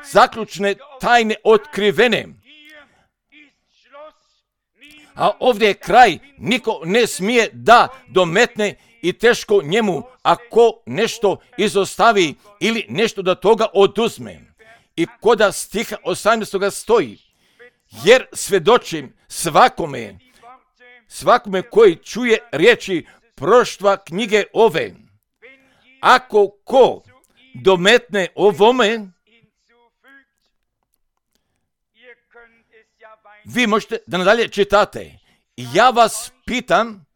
zaključne tajne otkrivene. A ovdje je kraj, niko ne smije da dometne i teško njemu ako nešto izostavi ili nešto do toga oduzme. I koda stiha 18. stoji, jer svjedočim svakome koji čuje riječi proštva knjige ove. Ako ko dometne ovome, vi možete da nadalje čitate. Ja vas pitam,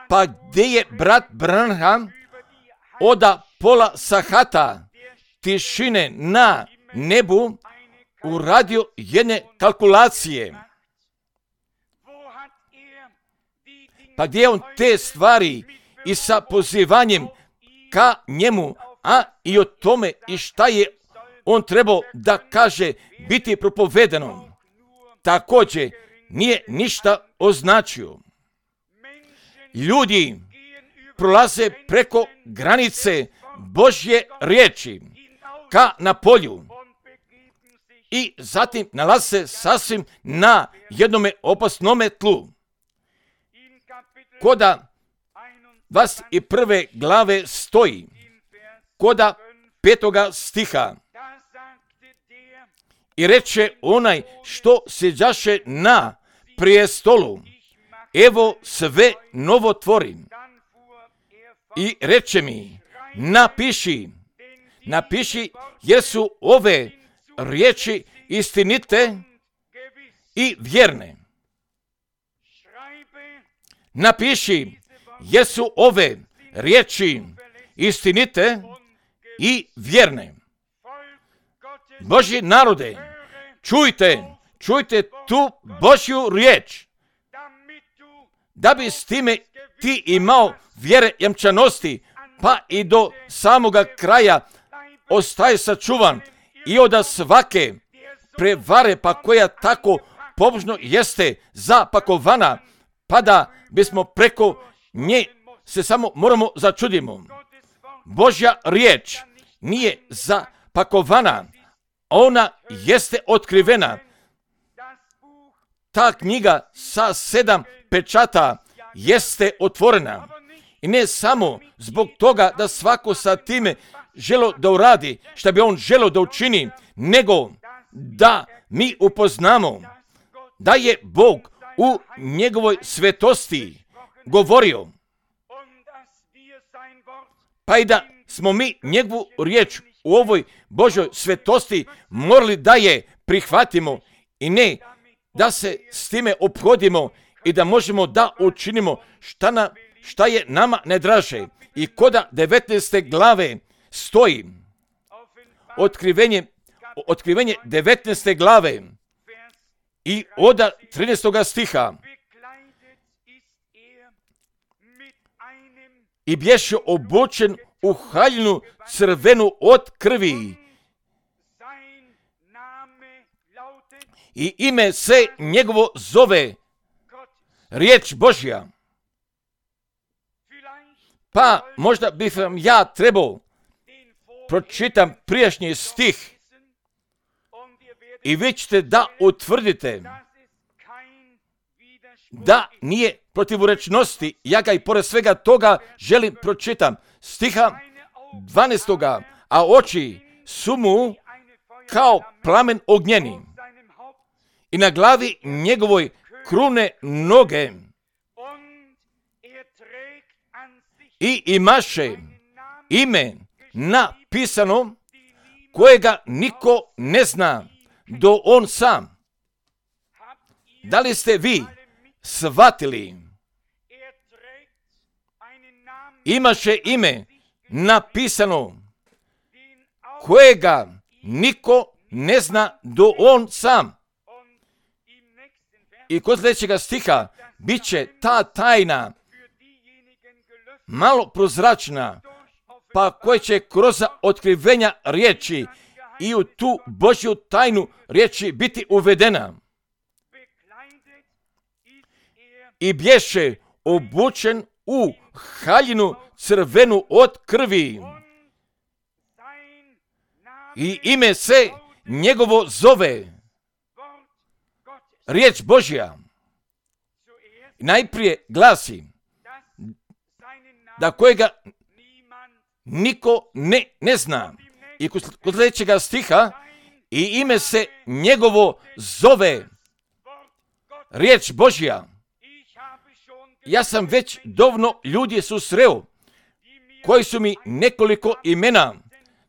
pa gdje je brat Branham od pola sahata tišine na nebu uradio jedne kalkulacije? Pa gdje je on te stvari i sa pozivanjem ka njemu, a i o tome i šta je on trebao da kaže biti propovedano, također nije ništa označio. Ljudi prolaze preko granice Božje riječi ka na polju i zatim nalaze se sasvim na jednome opasnome tlu. Koda 21. glave stoji, koda 5. stiha, i reče onaj što sjeđaše na prijestolu, evo sve novo tvorim. I reče mi, napiši, jer su ove riječi istinite i vjerne. Napiši, jer su ove riječi istinite i vjerne. Božji narode, čujte tu Božju riječ, da bi s time ti imao vjere jamčanosti, pa i do samoga kraja ostaje sačuvan i od svake prevare, pa koja tako pobožno jeste zapakovana, pa da bismo preko nje se samo moramo začudimo. Božja riječ nije zapakovana, ona jeste otkrivena. Ta knjiga sa 7 pečata jeste otvorena. I ne samo zbog toga da svako sa time želo da uradi šta bi on želo da učini, nego da mi upoznamo da je Bog u njegovoj svetosti govorio, pa i da smo mi njegovu riječ u ovoj Božoj svetosti morali da je prihvatimo i ne da se s time ophodimo i da možemo da učinimo šta je nama nedraže. I koda 19. glave stoji otkrivenje 19. glave i od 13. stiha. I bješe obučen u haljinu crvenu od krvi. I ime se njegovo zove riječ Božja. Pa možda bih vam ja trebao pročitam prijašnji stih i vi ćete da utvrdite da nije protivrečnosti. Ja ga i pored svega toga želim pročitam. Stiha 12. A oči su mu kao plamen ognjeni i na glavi njegovoj krune noge i imaše ime napisano kojega niko ne zna do on sam. Da li ste vi shvatili? Imaše ime napisano kojega niko ne zna do on sam. I kod sljedećega stiha bit će ta tajna malo prozračna, pa koje će kroz otkrivenja riječi i u tu Božju tajnu riječi biti uvedena. I bješe obučen u haljinu crvenu od krvi. I ime se njegovo zove riječ Božja. Najprije glasi da kojega niko ne zna. I kod sljedećega stiha i ime se njegovo zove riječ Božja. Ja sam već dovoljno ljudi susreo koji su mi nekoliko imena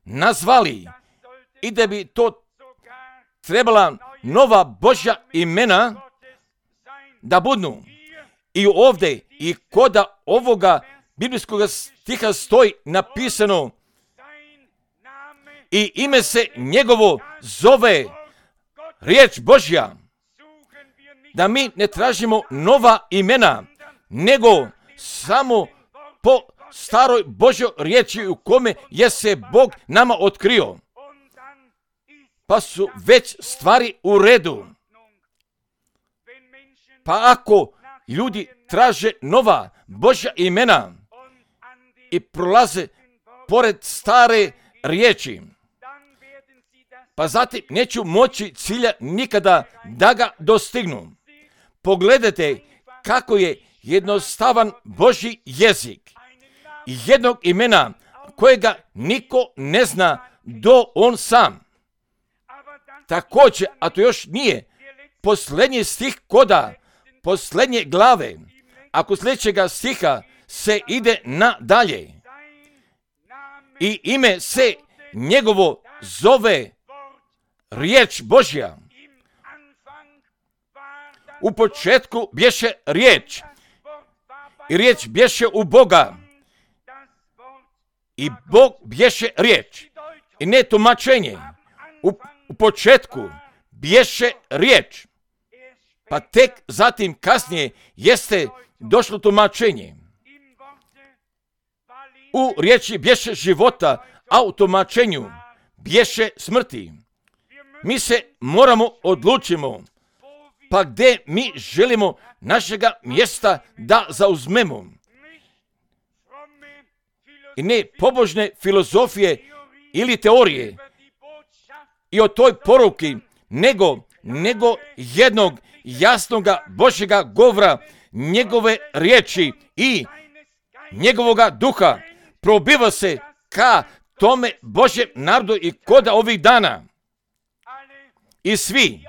nazvali i da bi to trebala nova Božja imena da budnu. I ovdje i koda ovoga biblijskog stiha stoji napisano i ime se njegovo zove riječ Božja. Da mi ne tražimo nova imena, nego samo po staroj Božjoj riječi u kome je se Bog nama otkrio. Pa su već stvari u redu. Pa ako ljudi traže nova Božja imena i prolaze pored stare riječi, pa zatim neću moći cilja nikada da ga dostignu. Pogledajte kako je jednostavan Božji jezik. Jednog imena kojega niko ne zna do on sam. Također, a to još nije posljednji stih koda posljednje glave, ako sljedećega stiha se ide nadalje. I ime se njegovo zove riječ Božja. U početku bješe riječ i riječ bješe u Boga i Bog bješe riječ i ne tumačenje. U početku bješe riječ, pa tek zatim kasnije jeste došlo tumačenje. U riječi bješe života, a u tumačenju bješe smrti. Mi se moramo odlučimo, pa gdje mi želimo našega mjesta da zauzmemo. I ne pobožne filozofije ili teorije i o toj poruki, nego jednog jasnoga Božjega govora, njegove riječi i njegovoga duha probiva se ka tome Božjem narodu i koda ovih dana. I svi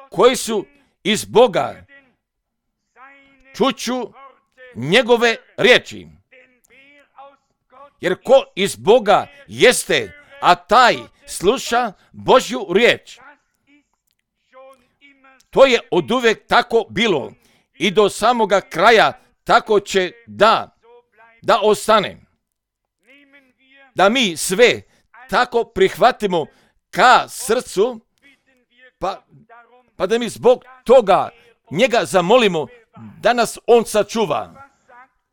koji su iz Boga čuću njegove riječi. Jer ko iz Boga jeste, a taj sluša Božju riječ. To je oduvijek tako bilo i do samoga kraja tako će da ostane. da mi sve tako prihvatimo ka srcu, pa da mi zbog toga njega zamolimo da nas on sačuva.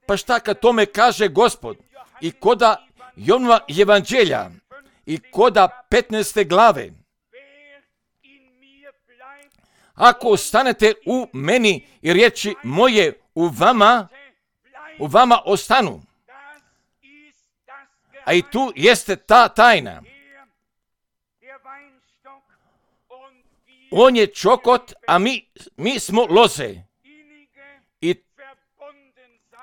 Pa šta kad tome kaže Gospod? I koda Jovanova evanđelja i koda 15. glave. Ako ostanete u meni i riječi moje u vama ostanu. A i tu jeste ta tajna. On je čokot, a mi smo loze.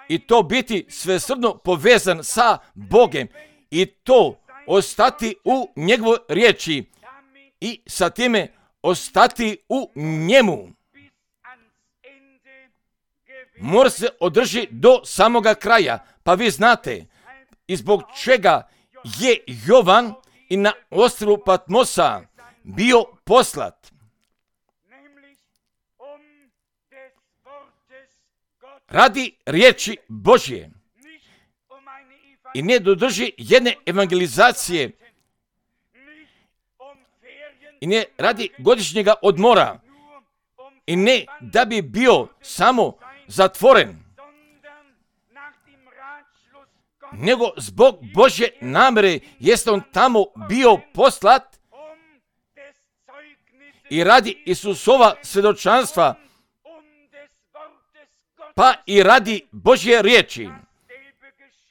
I to biti svesrdno povezan sa Bogem. I to ostati u njegovoj riječi. I sa time ostati u njemu. Mora se održi do samoga kraja. Pa vi znate, i zbog čega je Jovan i na ostrvu Patmosa bio poslat. Radi riječi Božje. I ne dodrži jedne evangelizacije. I ne radi godišnjega odmora. I ne da bi bio samo zatvoren. Nego zbog Božje namere jeste on tamo bio poslat i radi Isusova svjedočanstva, pa i radi Božje riječi.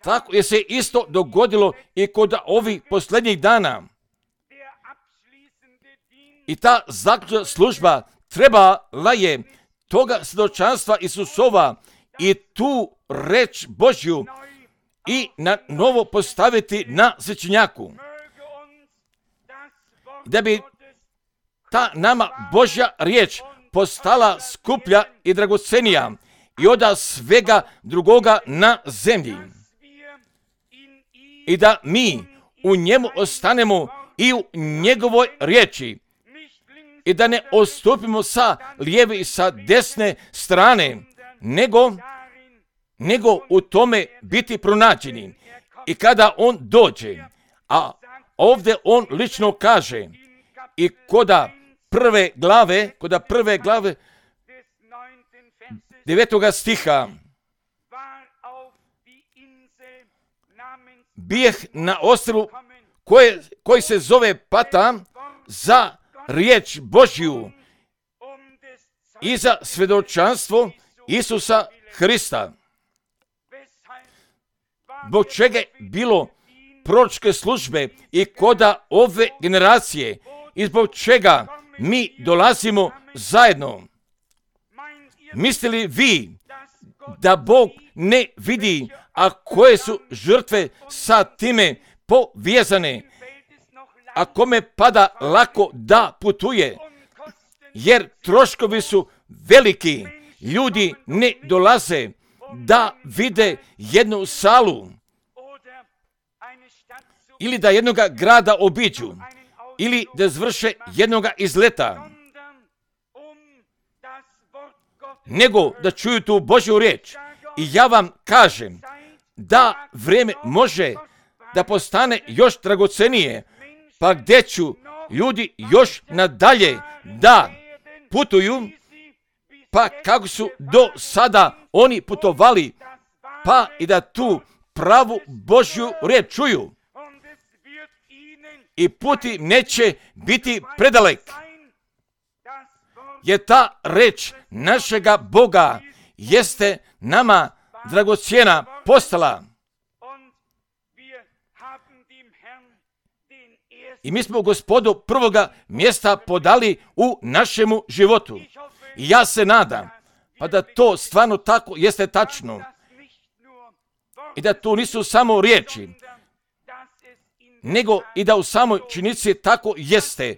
Tako je se isto dogodilo i kod ovih posljednjih dana. I ta zaključna služba trebala je toga svjedočanstva Isusova i tu reč Božju i na novo postaviti na svećenjaku. Da bi ta nama Božja riječ postala skuplja i dragocenija i oda svega drugoga na zemlji. I da mi u njemu ostanemo i u njegovoj riječi. I da ne odstupimo sa lijeve i sa desne strane, nego u tome biti pronađeni. I kada on dođe, a ovdje on lično kaže, i koda prve glave 9. stiha, bijeh na ostrvu koji se zove Pata za riječ Božju i za svjedočanstvo Isusa Hrista. Zbog čega je bilo proročke službe i koda ove generacije i zbog čega mi dolazimo zajedno. Mislili vi da Bog ne vidi, a koje su žrtve sa time povezane, a kome pada lako da putuje, jer troškovi su veliki, ljudi ne dolaze da vide jednu salu ili da jednoga grada obiđu ili da zvrše jednoga izleta, nego da čuju tu Božju riječ. I ja vam kažem da vrijeme može da postane još dragocenije, pa gdje ću ljudi još nadalje da putuju, pa kako su do sada oni putovali, pa i da tu pravu Božju riječ čuju. I puti neće biti predalek, jer ta reč našega Boga jeste nama dragocjena postala. I mi smo Gospodu prvoga mjesta podali u našemu životu. I ja se nadam, pa da to stvarno tako jeste tačno. I da to nisu samo riječi, nego i da u samoj činjenici tako jeste.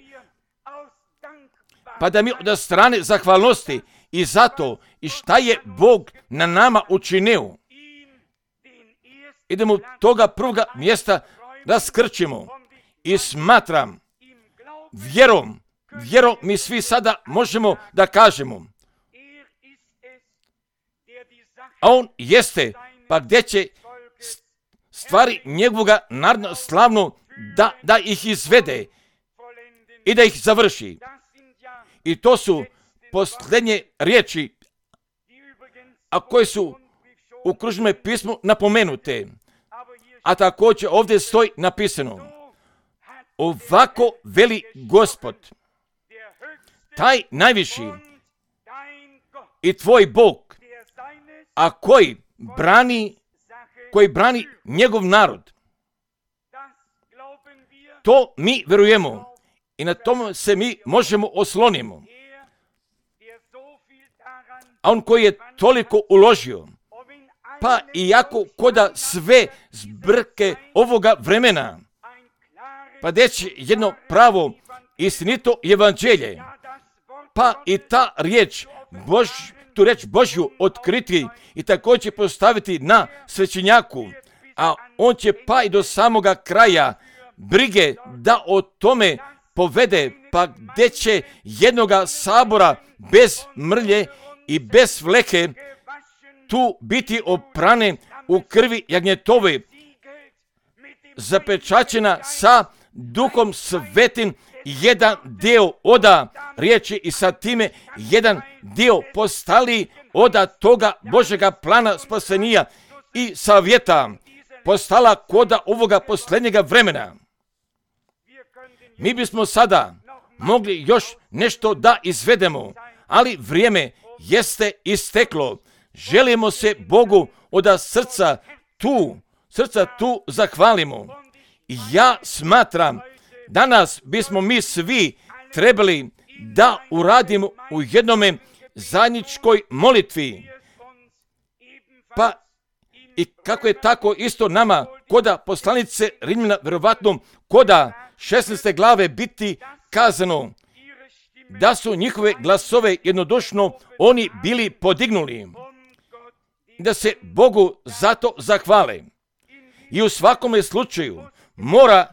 Pa da mi od strane zahvalnosti i zato i šta je Bog na nama učinio, idemo toga prvoga mjesta raskrčimo. I smatram, vjerom mi svi sada možemo da kažemo, a on jeste, pa gdje će stvari njegovoga narodno slavno da ih izvede i da ih završi. I to su posljednje riječi, a koje su u kružnom pismu napomenute. A također ovdje stoji napisano: ovako veli Gospod, taj najviši i tvoj Bog, a koji brani njegov narod. To mi vjerujemo i na tom se mi možemo oslonimo. A on koji je toliko uložio, pa iako koda sve zbrke ovoga vremena, pa deći jedno pravo istinito evanđelje, pa i ta riječ tu reč Božju otkriti i također postaviti na svećenjaku, a on će pa i do samoga kraja brige da o tome povede, pa gdje će jednoga sabora bez mrlje i bez fleke tu biti oprane u krvi jagnjetove, zapečaćena sa Duhom Svetim, jedan dio oda riječi i sa time jedan dio postali oda toga Božega plana spasenija i savjeta postala koda ovoga posljednjega vremena. Mi bismo sada mogli još nešto da izvedemo, ali vrijeme jeste isteklo. Želimo se Bogu od srca tu zahvalimo. Ja smatram, danas bismo mi svi trebali da uradimo u jednome zajedničkoj molitvi. Pa i kako je tako isto nama koda poslanice Rimljana, vjerovatno koda 16. glave biti kazano da su njihove glasove jednodušno oni bili podignuli, da se Bogu zato zahvale. I u svakome slučaju mora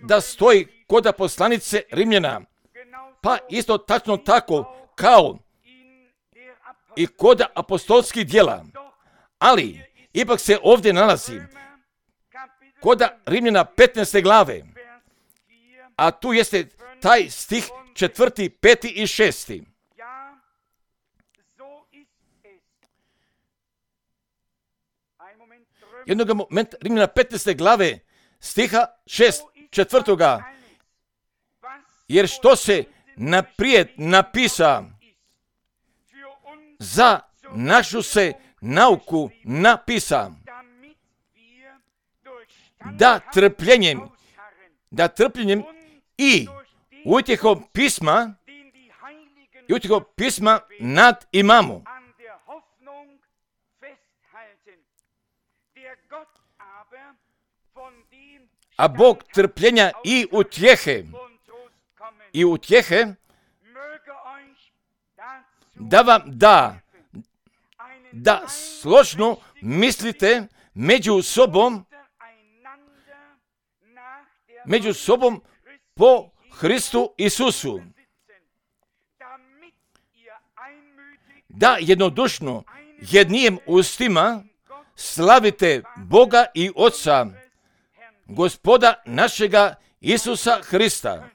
da stoji koda poslanice Rimljana, pa isto tačno tako kao i koda apostolskih djela. Ali ipak se ovdje nalazi koda Rimljana 15. glave, a tu jeste taj stih 4., 5. i 6. Jednog momenta Rimljana 15. glave stiha 4. Jer što se naprijed napisa, za našu se nauku napisa, da trpljenjem i utjehom pisma nad imamo. A Bog trpljenja i utjehe da vam da složno mislite među sobom po Hristu Isusu, da jednodušno jednim ustima slavite Boga i Oca, Gospoda našega Isusa Hrista.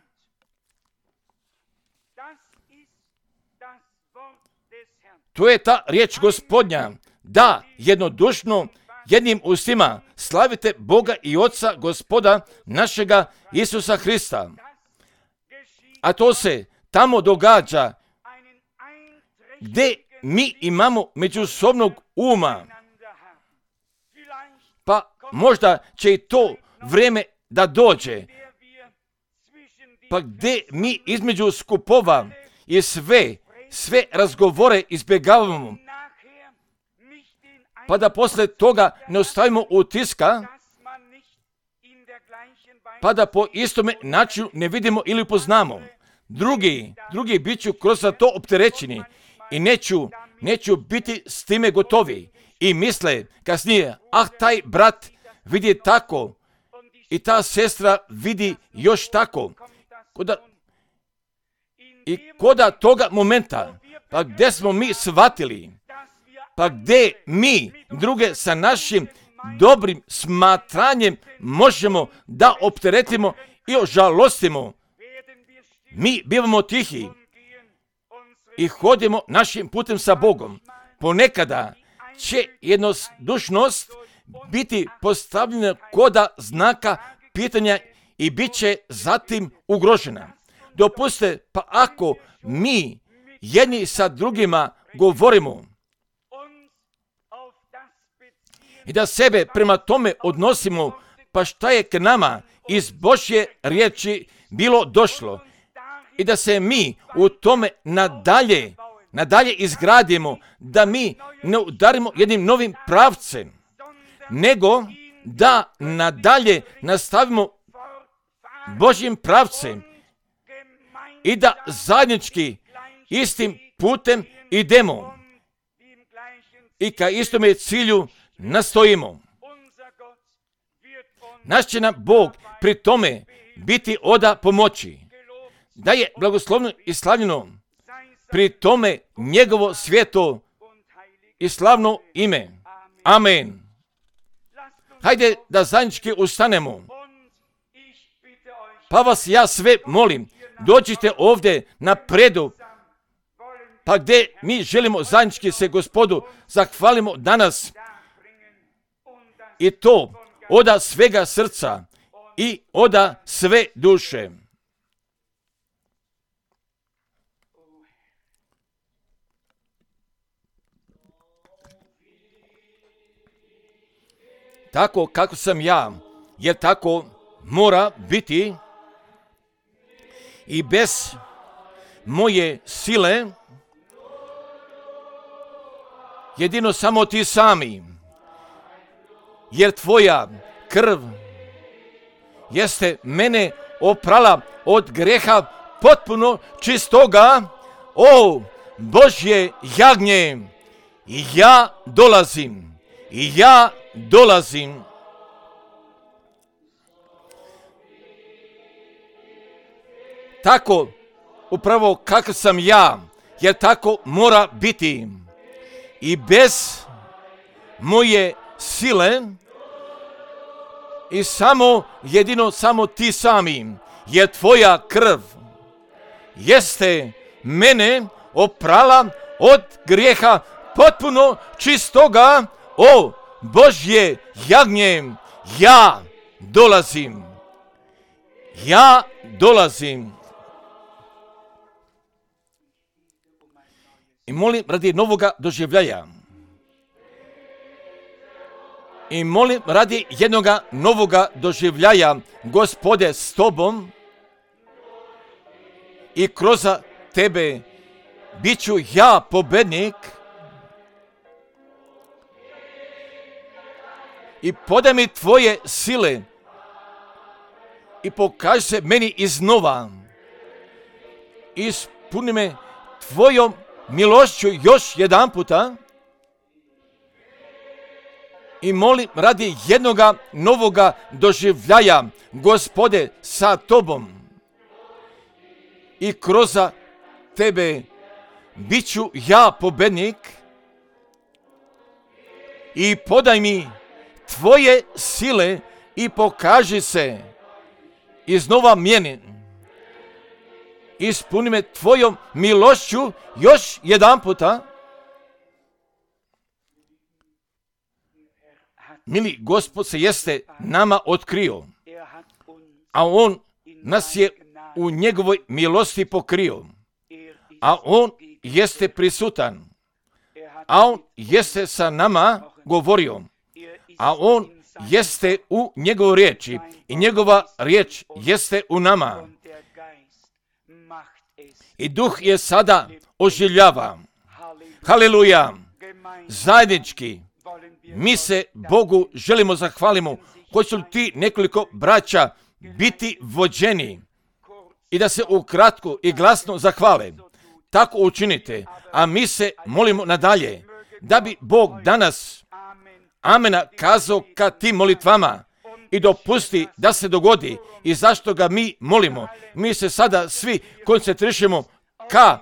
To je ta riječ Gospodnja, da jednodušno jednim ustima slavite Boga i Oca, Gospoda našega Isusa Hrista. A to se tamo događa gdje mi imamo međusobnog uma. Pa možda će i to vrijeme da dođe. Pa gdje mi između skupova i sve razgovore izbjegavamo, pa da poslije toga ne ostavimo utiska, pa da po istome načinu ne vidimo ili upoznamo. Drugi bit ću kroz to opterećeni i neću biti s time gotovi. I misle kasnije, taj brat vidi tako i ta sestra vidi još tako. Koda toga momenta, pa gdje smo mi shvatili, pa gdje mi druge sa našim dobrim smatranjem možemo da opteretimo i ožalostimo. Mi bivamo tihi i hodimo našim putem sa Bogom. Ponekada će jednodušnost biti postavljena koda znaka pitanja i bit će zatim ugrožena. Dopustite, pa ako mi jedni sa drugima govorimo i da sebe prema tome odnosimo, pa šta je k nama iz Božje riječi bilo došlo, i da se mi u tome nadalje izgradimo, da mi ne udarimo jednim novim pravcem, nego da nadalje nastavimo Božjim pravcem i da zajednički istim putem idemo i ka istome cilju nastojimo. Naš će nam Bog pri tome biti oda pomoći, da je blagoslovno i slavljeno pri tome njegovo sveto i slavno ime. Amen. Hajde da zajednički ustanemo. Pa vas ja sve molim, dođite ovdje napredu, pa gdje mi želimo zajednički se Gospodu zahvalimo danas, i to oda svega srca i oda sve duše. Tako kako sam ja, jer tako mora biti, i bez moje sile jedino samo ti sami, jer tvoja krv jeste mene oprala od greha potpuno čistoga. O Božje jagnje, ja dolazim. Tako upravo kakav sam ja, jer tako mora biti, i bez moje sile i jedino samo ti sami, jer tvoja krv jeste mene oprala od grijeha potpuno čistoga. O Božje jagnje, ja dolazim. I molim radi novoga doživljaja. I molim radi jednoga novoga doživljaja, Gospode, s tobom, i kroz tebe bit ću ja pobednik, i podaj mi tvoje sile i pokaži se meni iznova. Ispuni me tvojom milošću još jedan puta, i molim radi jednoga novoga doživljaja, Gospode, sa tobom, i kroz tebe bit ću ja pobednik, i podaj mi tvoje sile i pokaži se iznova meni. Ispuni me tvojom milošću još jedan puta. Mili Gospod se jeste nama otkrio, a on nas je u njegovoj milosti pokrio, a on jeste prisutan, a on jeste sa nama govorio, a on jeste u njegovoj riječi i njegova riječ jeste u nama. I duh je sada oživljava. Haleluja! Zajednički mi se Bogu želimo zahvalimo. Hoće li ti nekoliko braća biti vođeni i da se ukratko i glasno zahvale? Tako učinite, a mi se molimo nadalje da bi Bog danas amena kazao ka tim molitvama i dopusti da se dogodi. I zašto ga mi molimo? Mi se sada svi koncentrišemo ka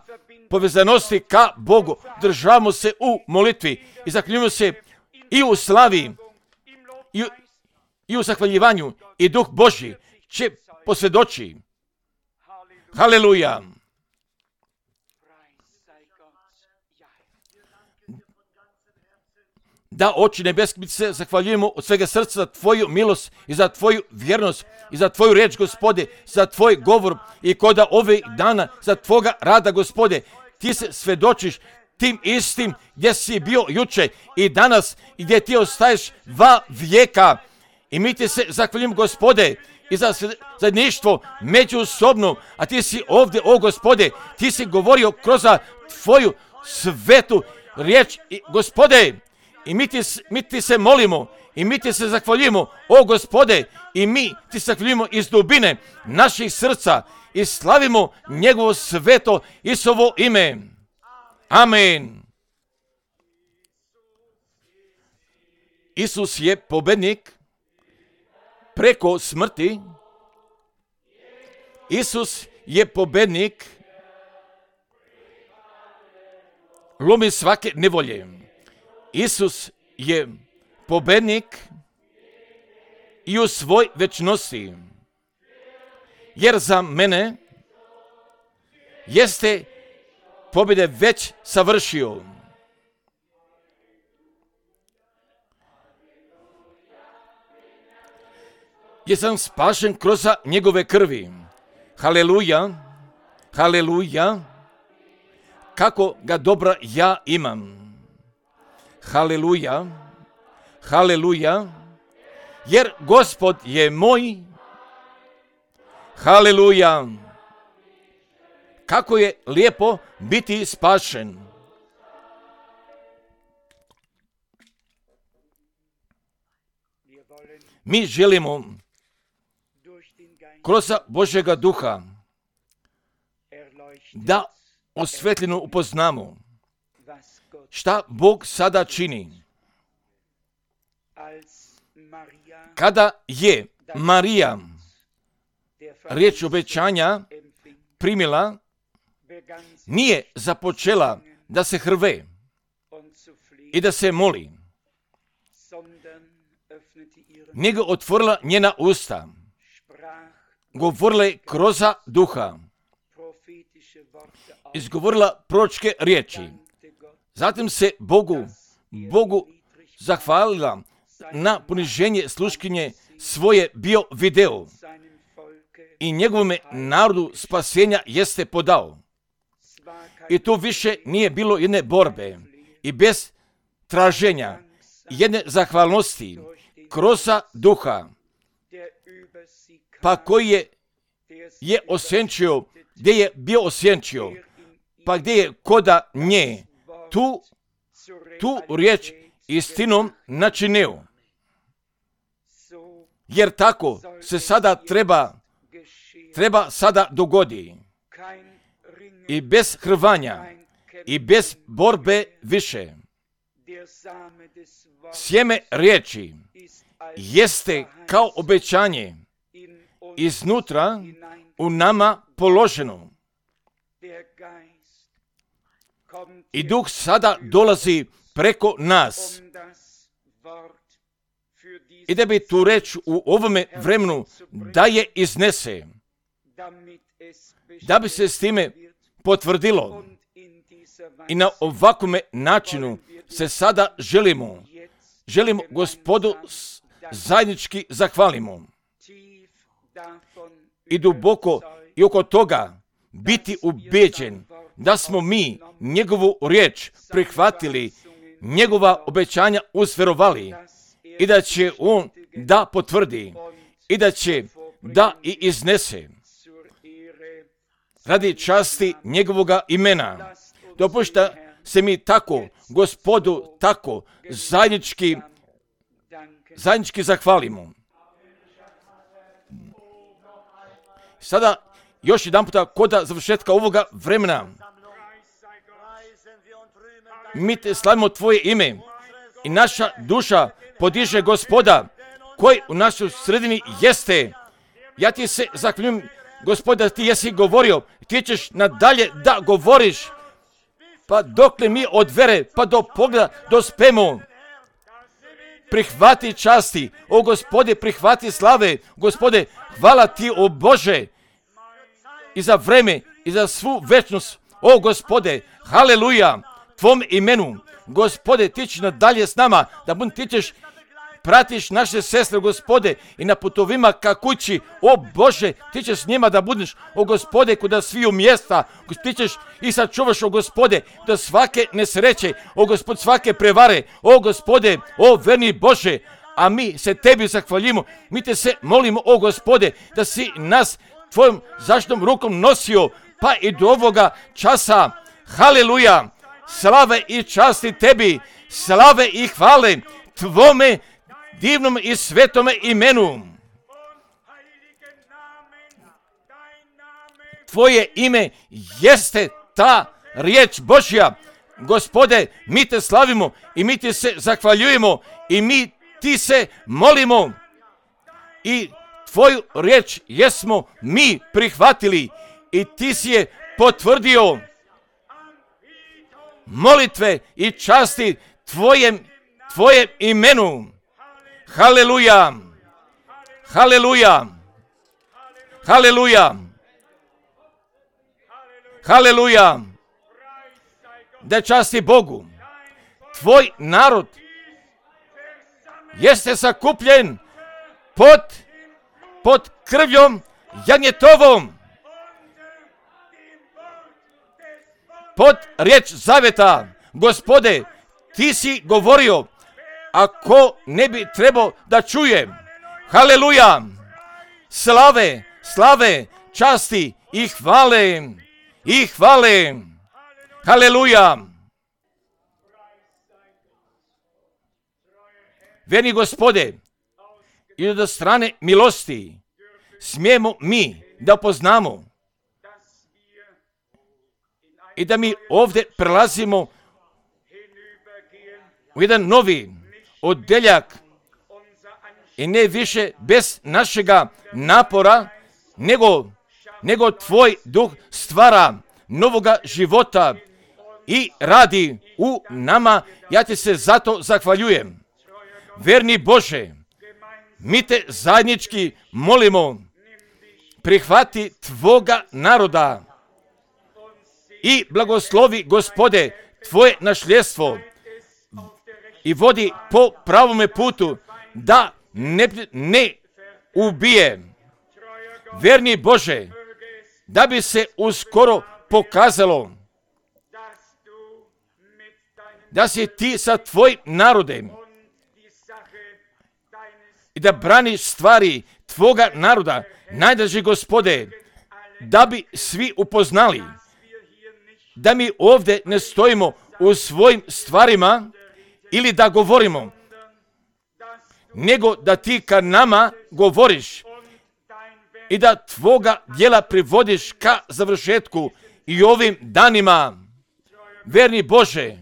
povezanosti ka Bogu. Državamo se u molitvi i zaklinjujemo se i u slavi i u zahvaljivanju i Duh Božji će posvjedoči. Haleluja! Da, Oče nebeski, mi se zahvaljujemo od svega srca za Tvoju milost i za Tvoju vjernost i za Tvoju riječ, Gospode, za Tvoj govor i koda ove dana, za Tvoga rada, Gospode. Ti se svjedočiš tim istim gdje si bio juče i danas i gdje ti ostaješ va vijeka. I mi ti se zahvaljujemo, Gospode, i za zajedništvo međusobno, a ti si ovdje, o Gospode, ti si govorio kroz Tvoju svetu riječ, Gospode. I mi ti se molimo i mi ti se zahvaljujemo, o Gospode, i mi ti se zahvaljujemo iz dubine naših srca i slavimo njegovo sveto Isusovo ime. Amen. Isus je pobjednik preko smrti. Isus je pobjednik, lomi svake nevolje. Isus je pobjednik i u svoj večnosti. Jer za mene jeste pobjede već savršio. Jer sam spašen kroz njegove krvi. Haleluja, haleluja, kako ga dobra ja imam. Haleluja, haleluja, jer Gospod je moj. Haleluja, kako je lijepo biti spašen. Mi želimo kroz Božjega duha da osvetljeno upoznamo šta Bog sada čini. Kada je Marija riječ obećanja primila, nije započela da se hrve i da se moli, nego otvorila njena usta, govorila je kroz duha, izgovorila proročke riječi. Zatim se Bogu zahvalila na poniženje sluškinje svoje bio video i njegovome narodu spasenja jeste podao. I tu više nije bilo jedne borbe i bez traženja jedne zahvalnosti kroz duha, pa koji je osjenčio, gdje je bio osjenčio, pa gdje je koda nje tu riječ istinom načinio. Jer tako se sada treba sada dogodi. I bez hrvanja i bez borbe više. Sjeme riječi jeste kao obećanje iznutra u nama položeno. I Duh sada dolazi preko nas. I da bi tu reč u ovome vremenu da je iznese. Da bi se s time potvrdilo. I na ovakvom načinu se sada želimo Gospodu zajednički zahvalimo. I duboko i oko toga biti ubeđen da smo mi njegovu riječ prihvatili, njegova obećanja usvjerovali i da će on da potvrdi i da će da i iznese radi časti njegovoga imena. Dopušta se mi tako, Gospodu, tako zajednički zahvalimo. Sada još jedan puta koda završetka ovoga vremena mi te slavimo Tvoje ime i naša duša podiže Gospoda koji u našoj sredini jeste. Ja ti se zahvaljujem, Gospoda, ti jesi govorio, ti ćeš nadalje da govoriš, pa dokle mi od vere pa do pogleda dospemo. prihvati časti, o Gospode, prihvati slave, Gospode, hvala ti, o Bože, i za vreme, i za svu večnost, o Gospode, haleluja, tvom imenu, Gospode, ti ćeš nadalje s nama, ti ćeš pratiš naše sestre, Gospode, i na putovima ka kući, o Bože, ti ćeš s njima da budeš, o Gospode, kuda sviju mjesta, ti ćeš i sačuvaš, o Gospode, da svake nesreće, o Gospode, svake prevare, o Gospode, o verni Bože, a mi se tebi zahvaljimo, mi te se molimo, o Gospode, da si nas tvojom zaštitnom rukom nosio, pa i do ovoga časa, haleluja, slave i časti tebi, slave i hvale tvome divnom i svetome imenu. Tvoje ime jeste ta riječ Božja. Gospode, mi te slavimo i mi ti se zahvaljujemo i mi ti se molimo. I tvoju riječ jesmo mi prihvatili i ti si je potvrdio. Molitve i časti tvojem imenu. Haleluja, haleluja, haleluja, haleluja, da časti Bogu. Tvoj narod jeste sakupljen pod krvljom janjetovom, pod riječ zaveta. Gospode, ti si govorio, ako ne bi trebao da čuje, haleluja, slave, časti i hvale, haleluja. Verni Gospode, i od strane milosti smijemo mi da poznamo i da mi ovdje prelazimo u jedan novi odjeljak i ne više bez našega napora, nego tvoj duh stvara novoga života i radi u nama. Ja ti se zato zahvaljujem. Verni Bože, mi te zajednički molimo, prihvati tvoga naroda i blagoslovi, Gospode, tvoje nasljedstvo i vodi po pravome putu, da ne ubije. Verni Bože, da bi se uskoro pokazalo da si ti sa tvojim narodem i da braniš stvari tvoga naroda, najdraži Gospode, da bi svi upoznali da mi ovdje ne stojimo u svojim stvarima ili da govorimo, nego da ti ka nama govoriš i da tvoga djela privodiš ka završetku i ovim danima. Verni Bože,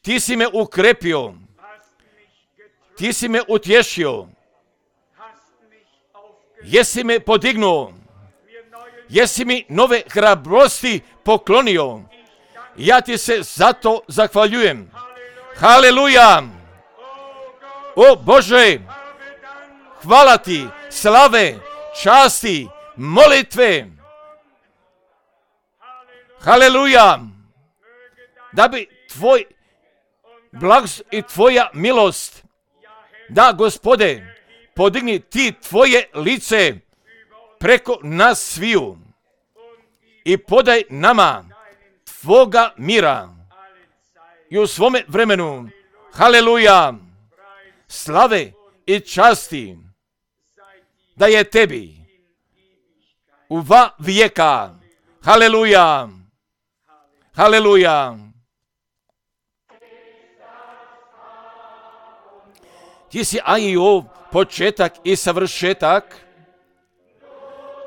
ti si me ukrepio, ti si me utješio, jesi me podignuo, jesi mi nove hrabrosti poklonio. Ja ti se zato zahvaljujem. Haleluja! O Bože, hvala ti, slave, časti, molitve. Haleluja! Da bi tvoj blagost i tvoja milost, da, Gospode, podigni ti tvoje lice preko nas sviju i podaj nama tvoga mira i u svome vremenu. Haleluja! Slave i časti da je tebi u vijeka. Haleluja! Haleluja! Ti si Ajov početak i savršetak,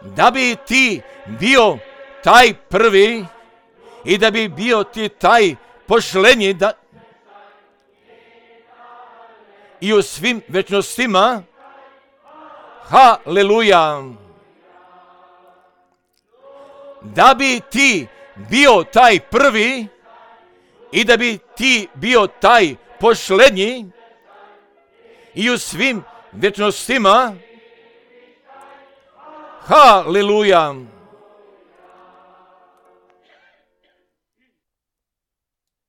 da bi ti bio taj prvi i da bi bio ti taj pošlenji, da i u svim večnostima. Haleluja! Da bi ti bio taj prvi i da bi ti bio taj pošlenji i u svim večnostima. Haleluja!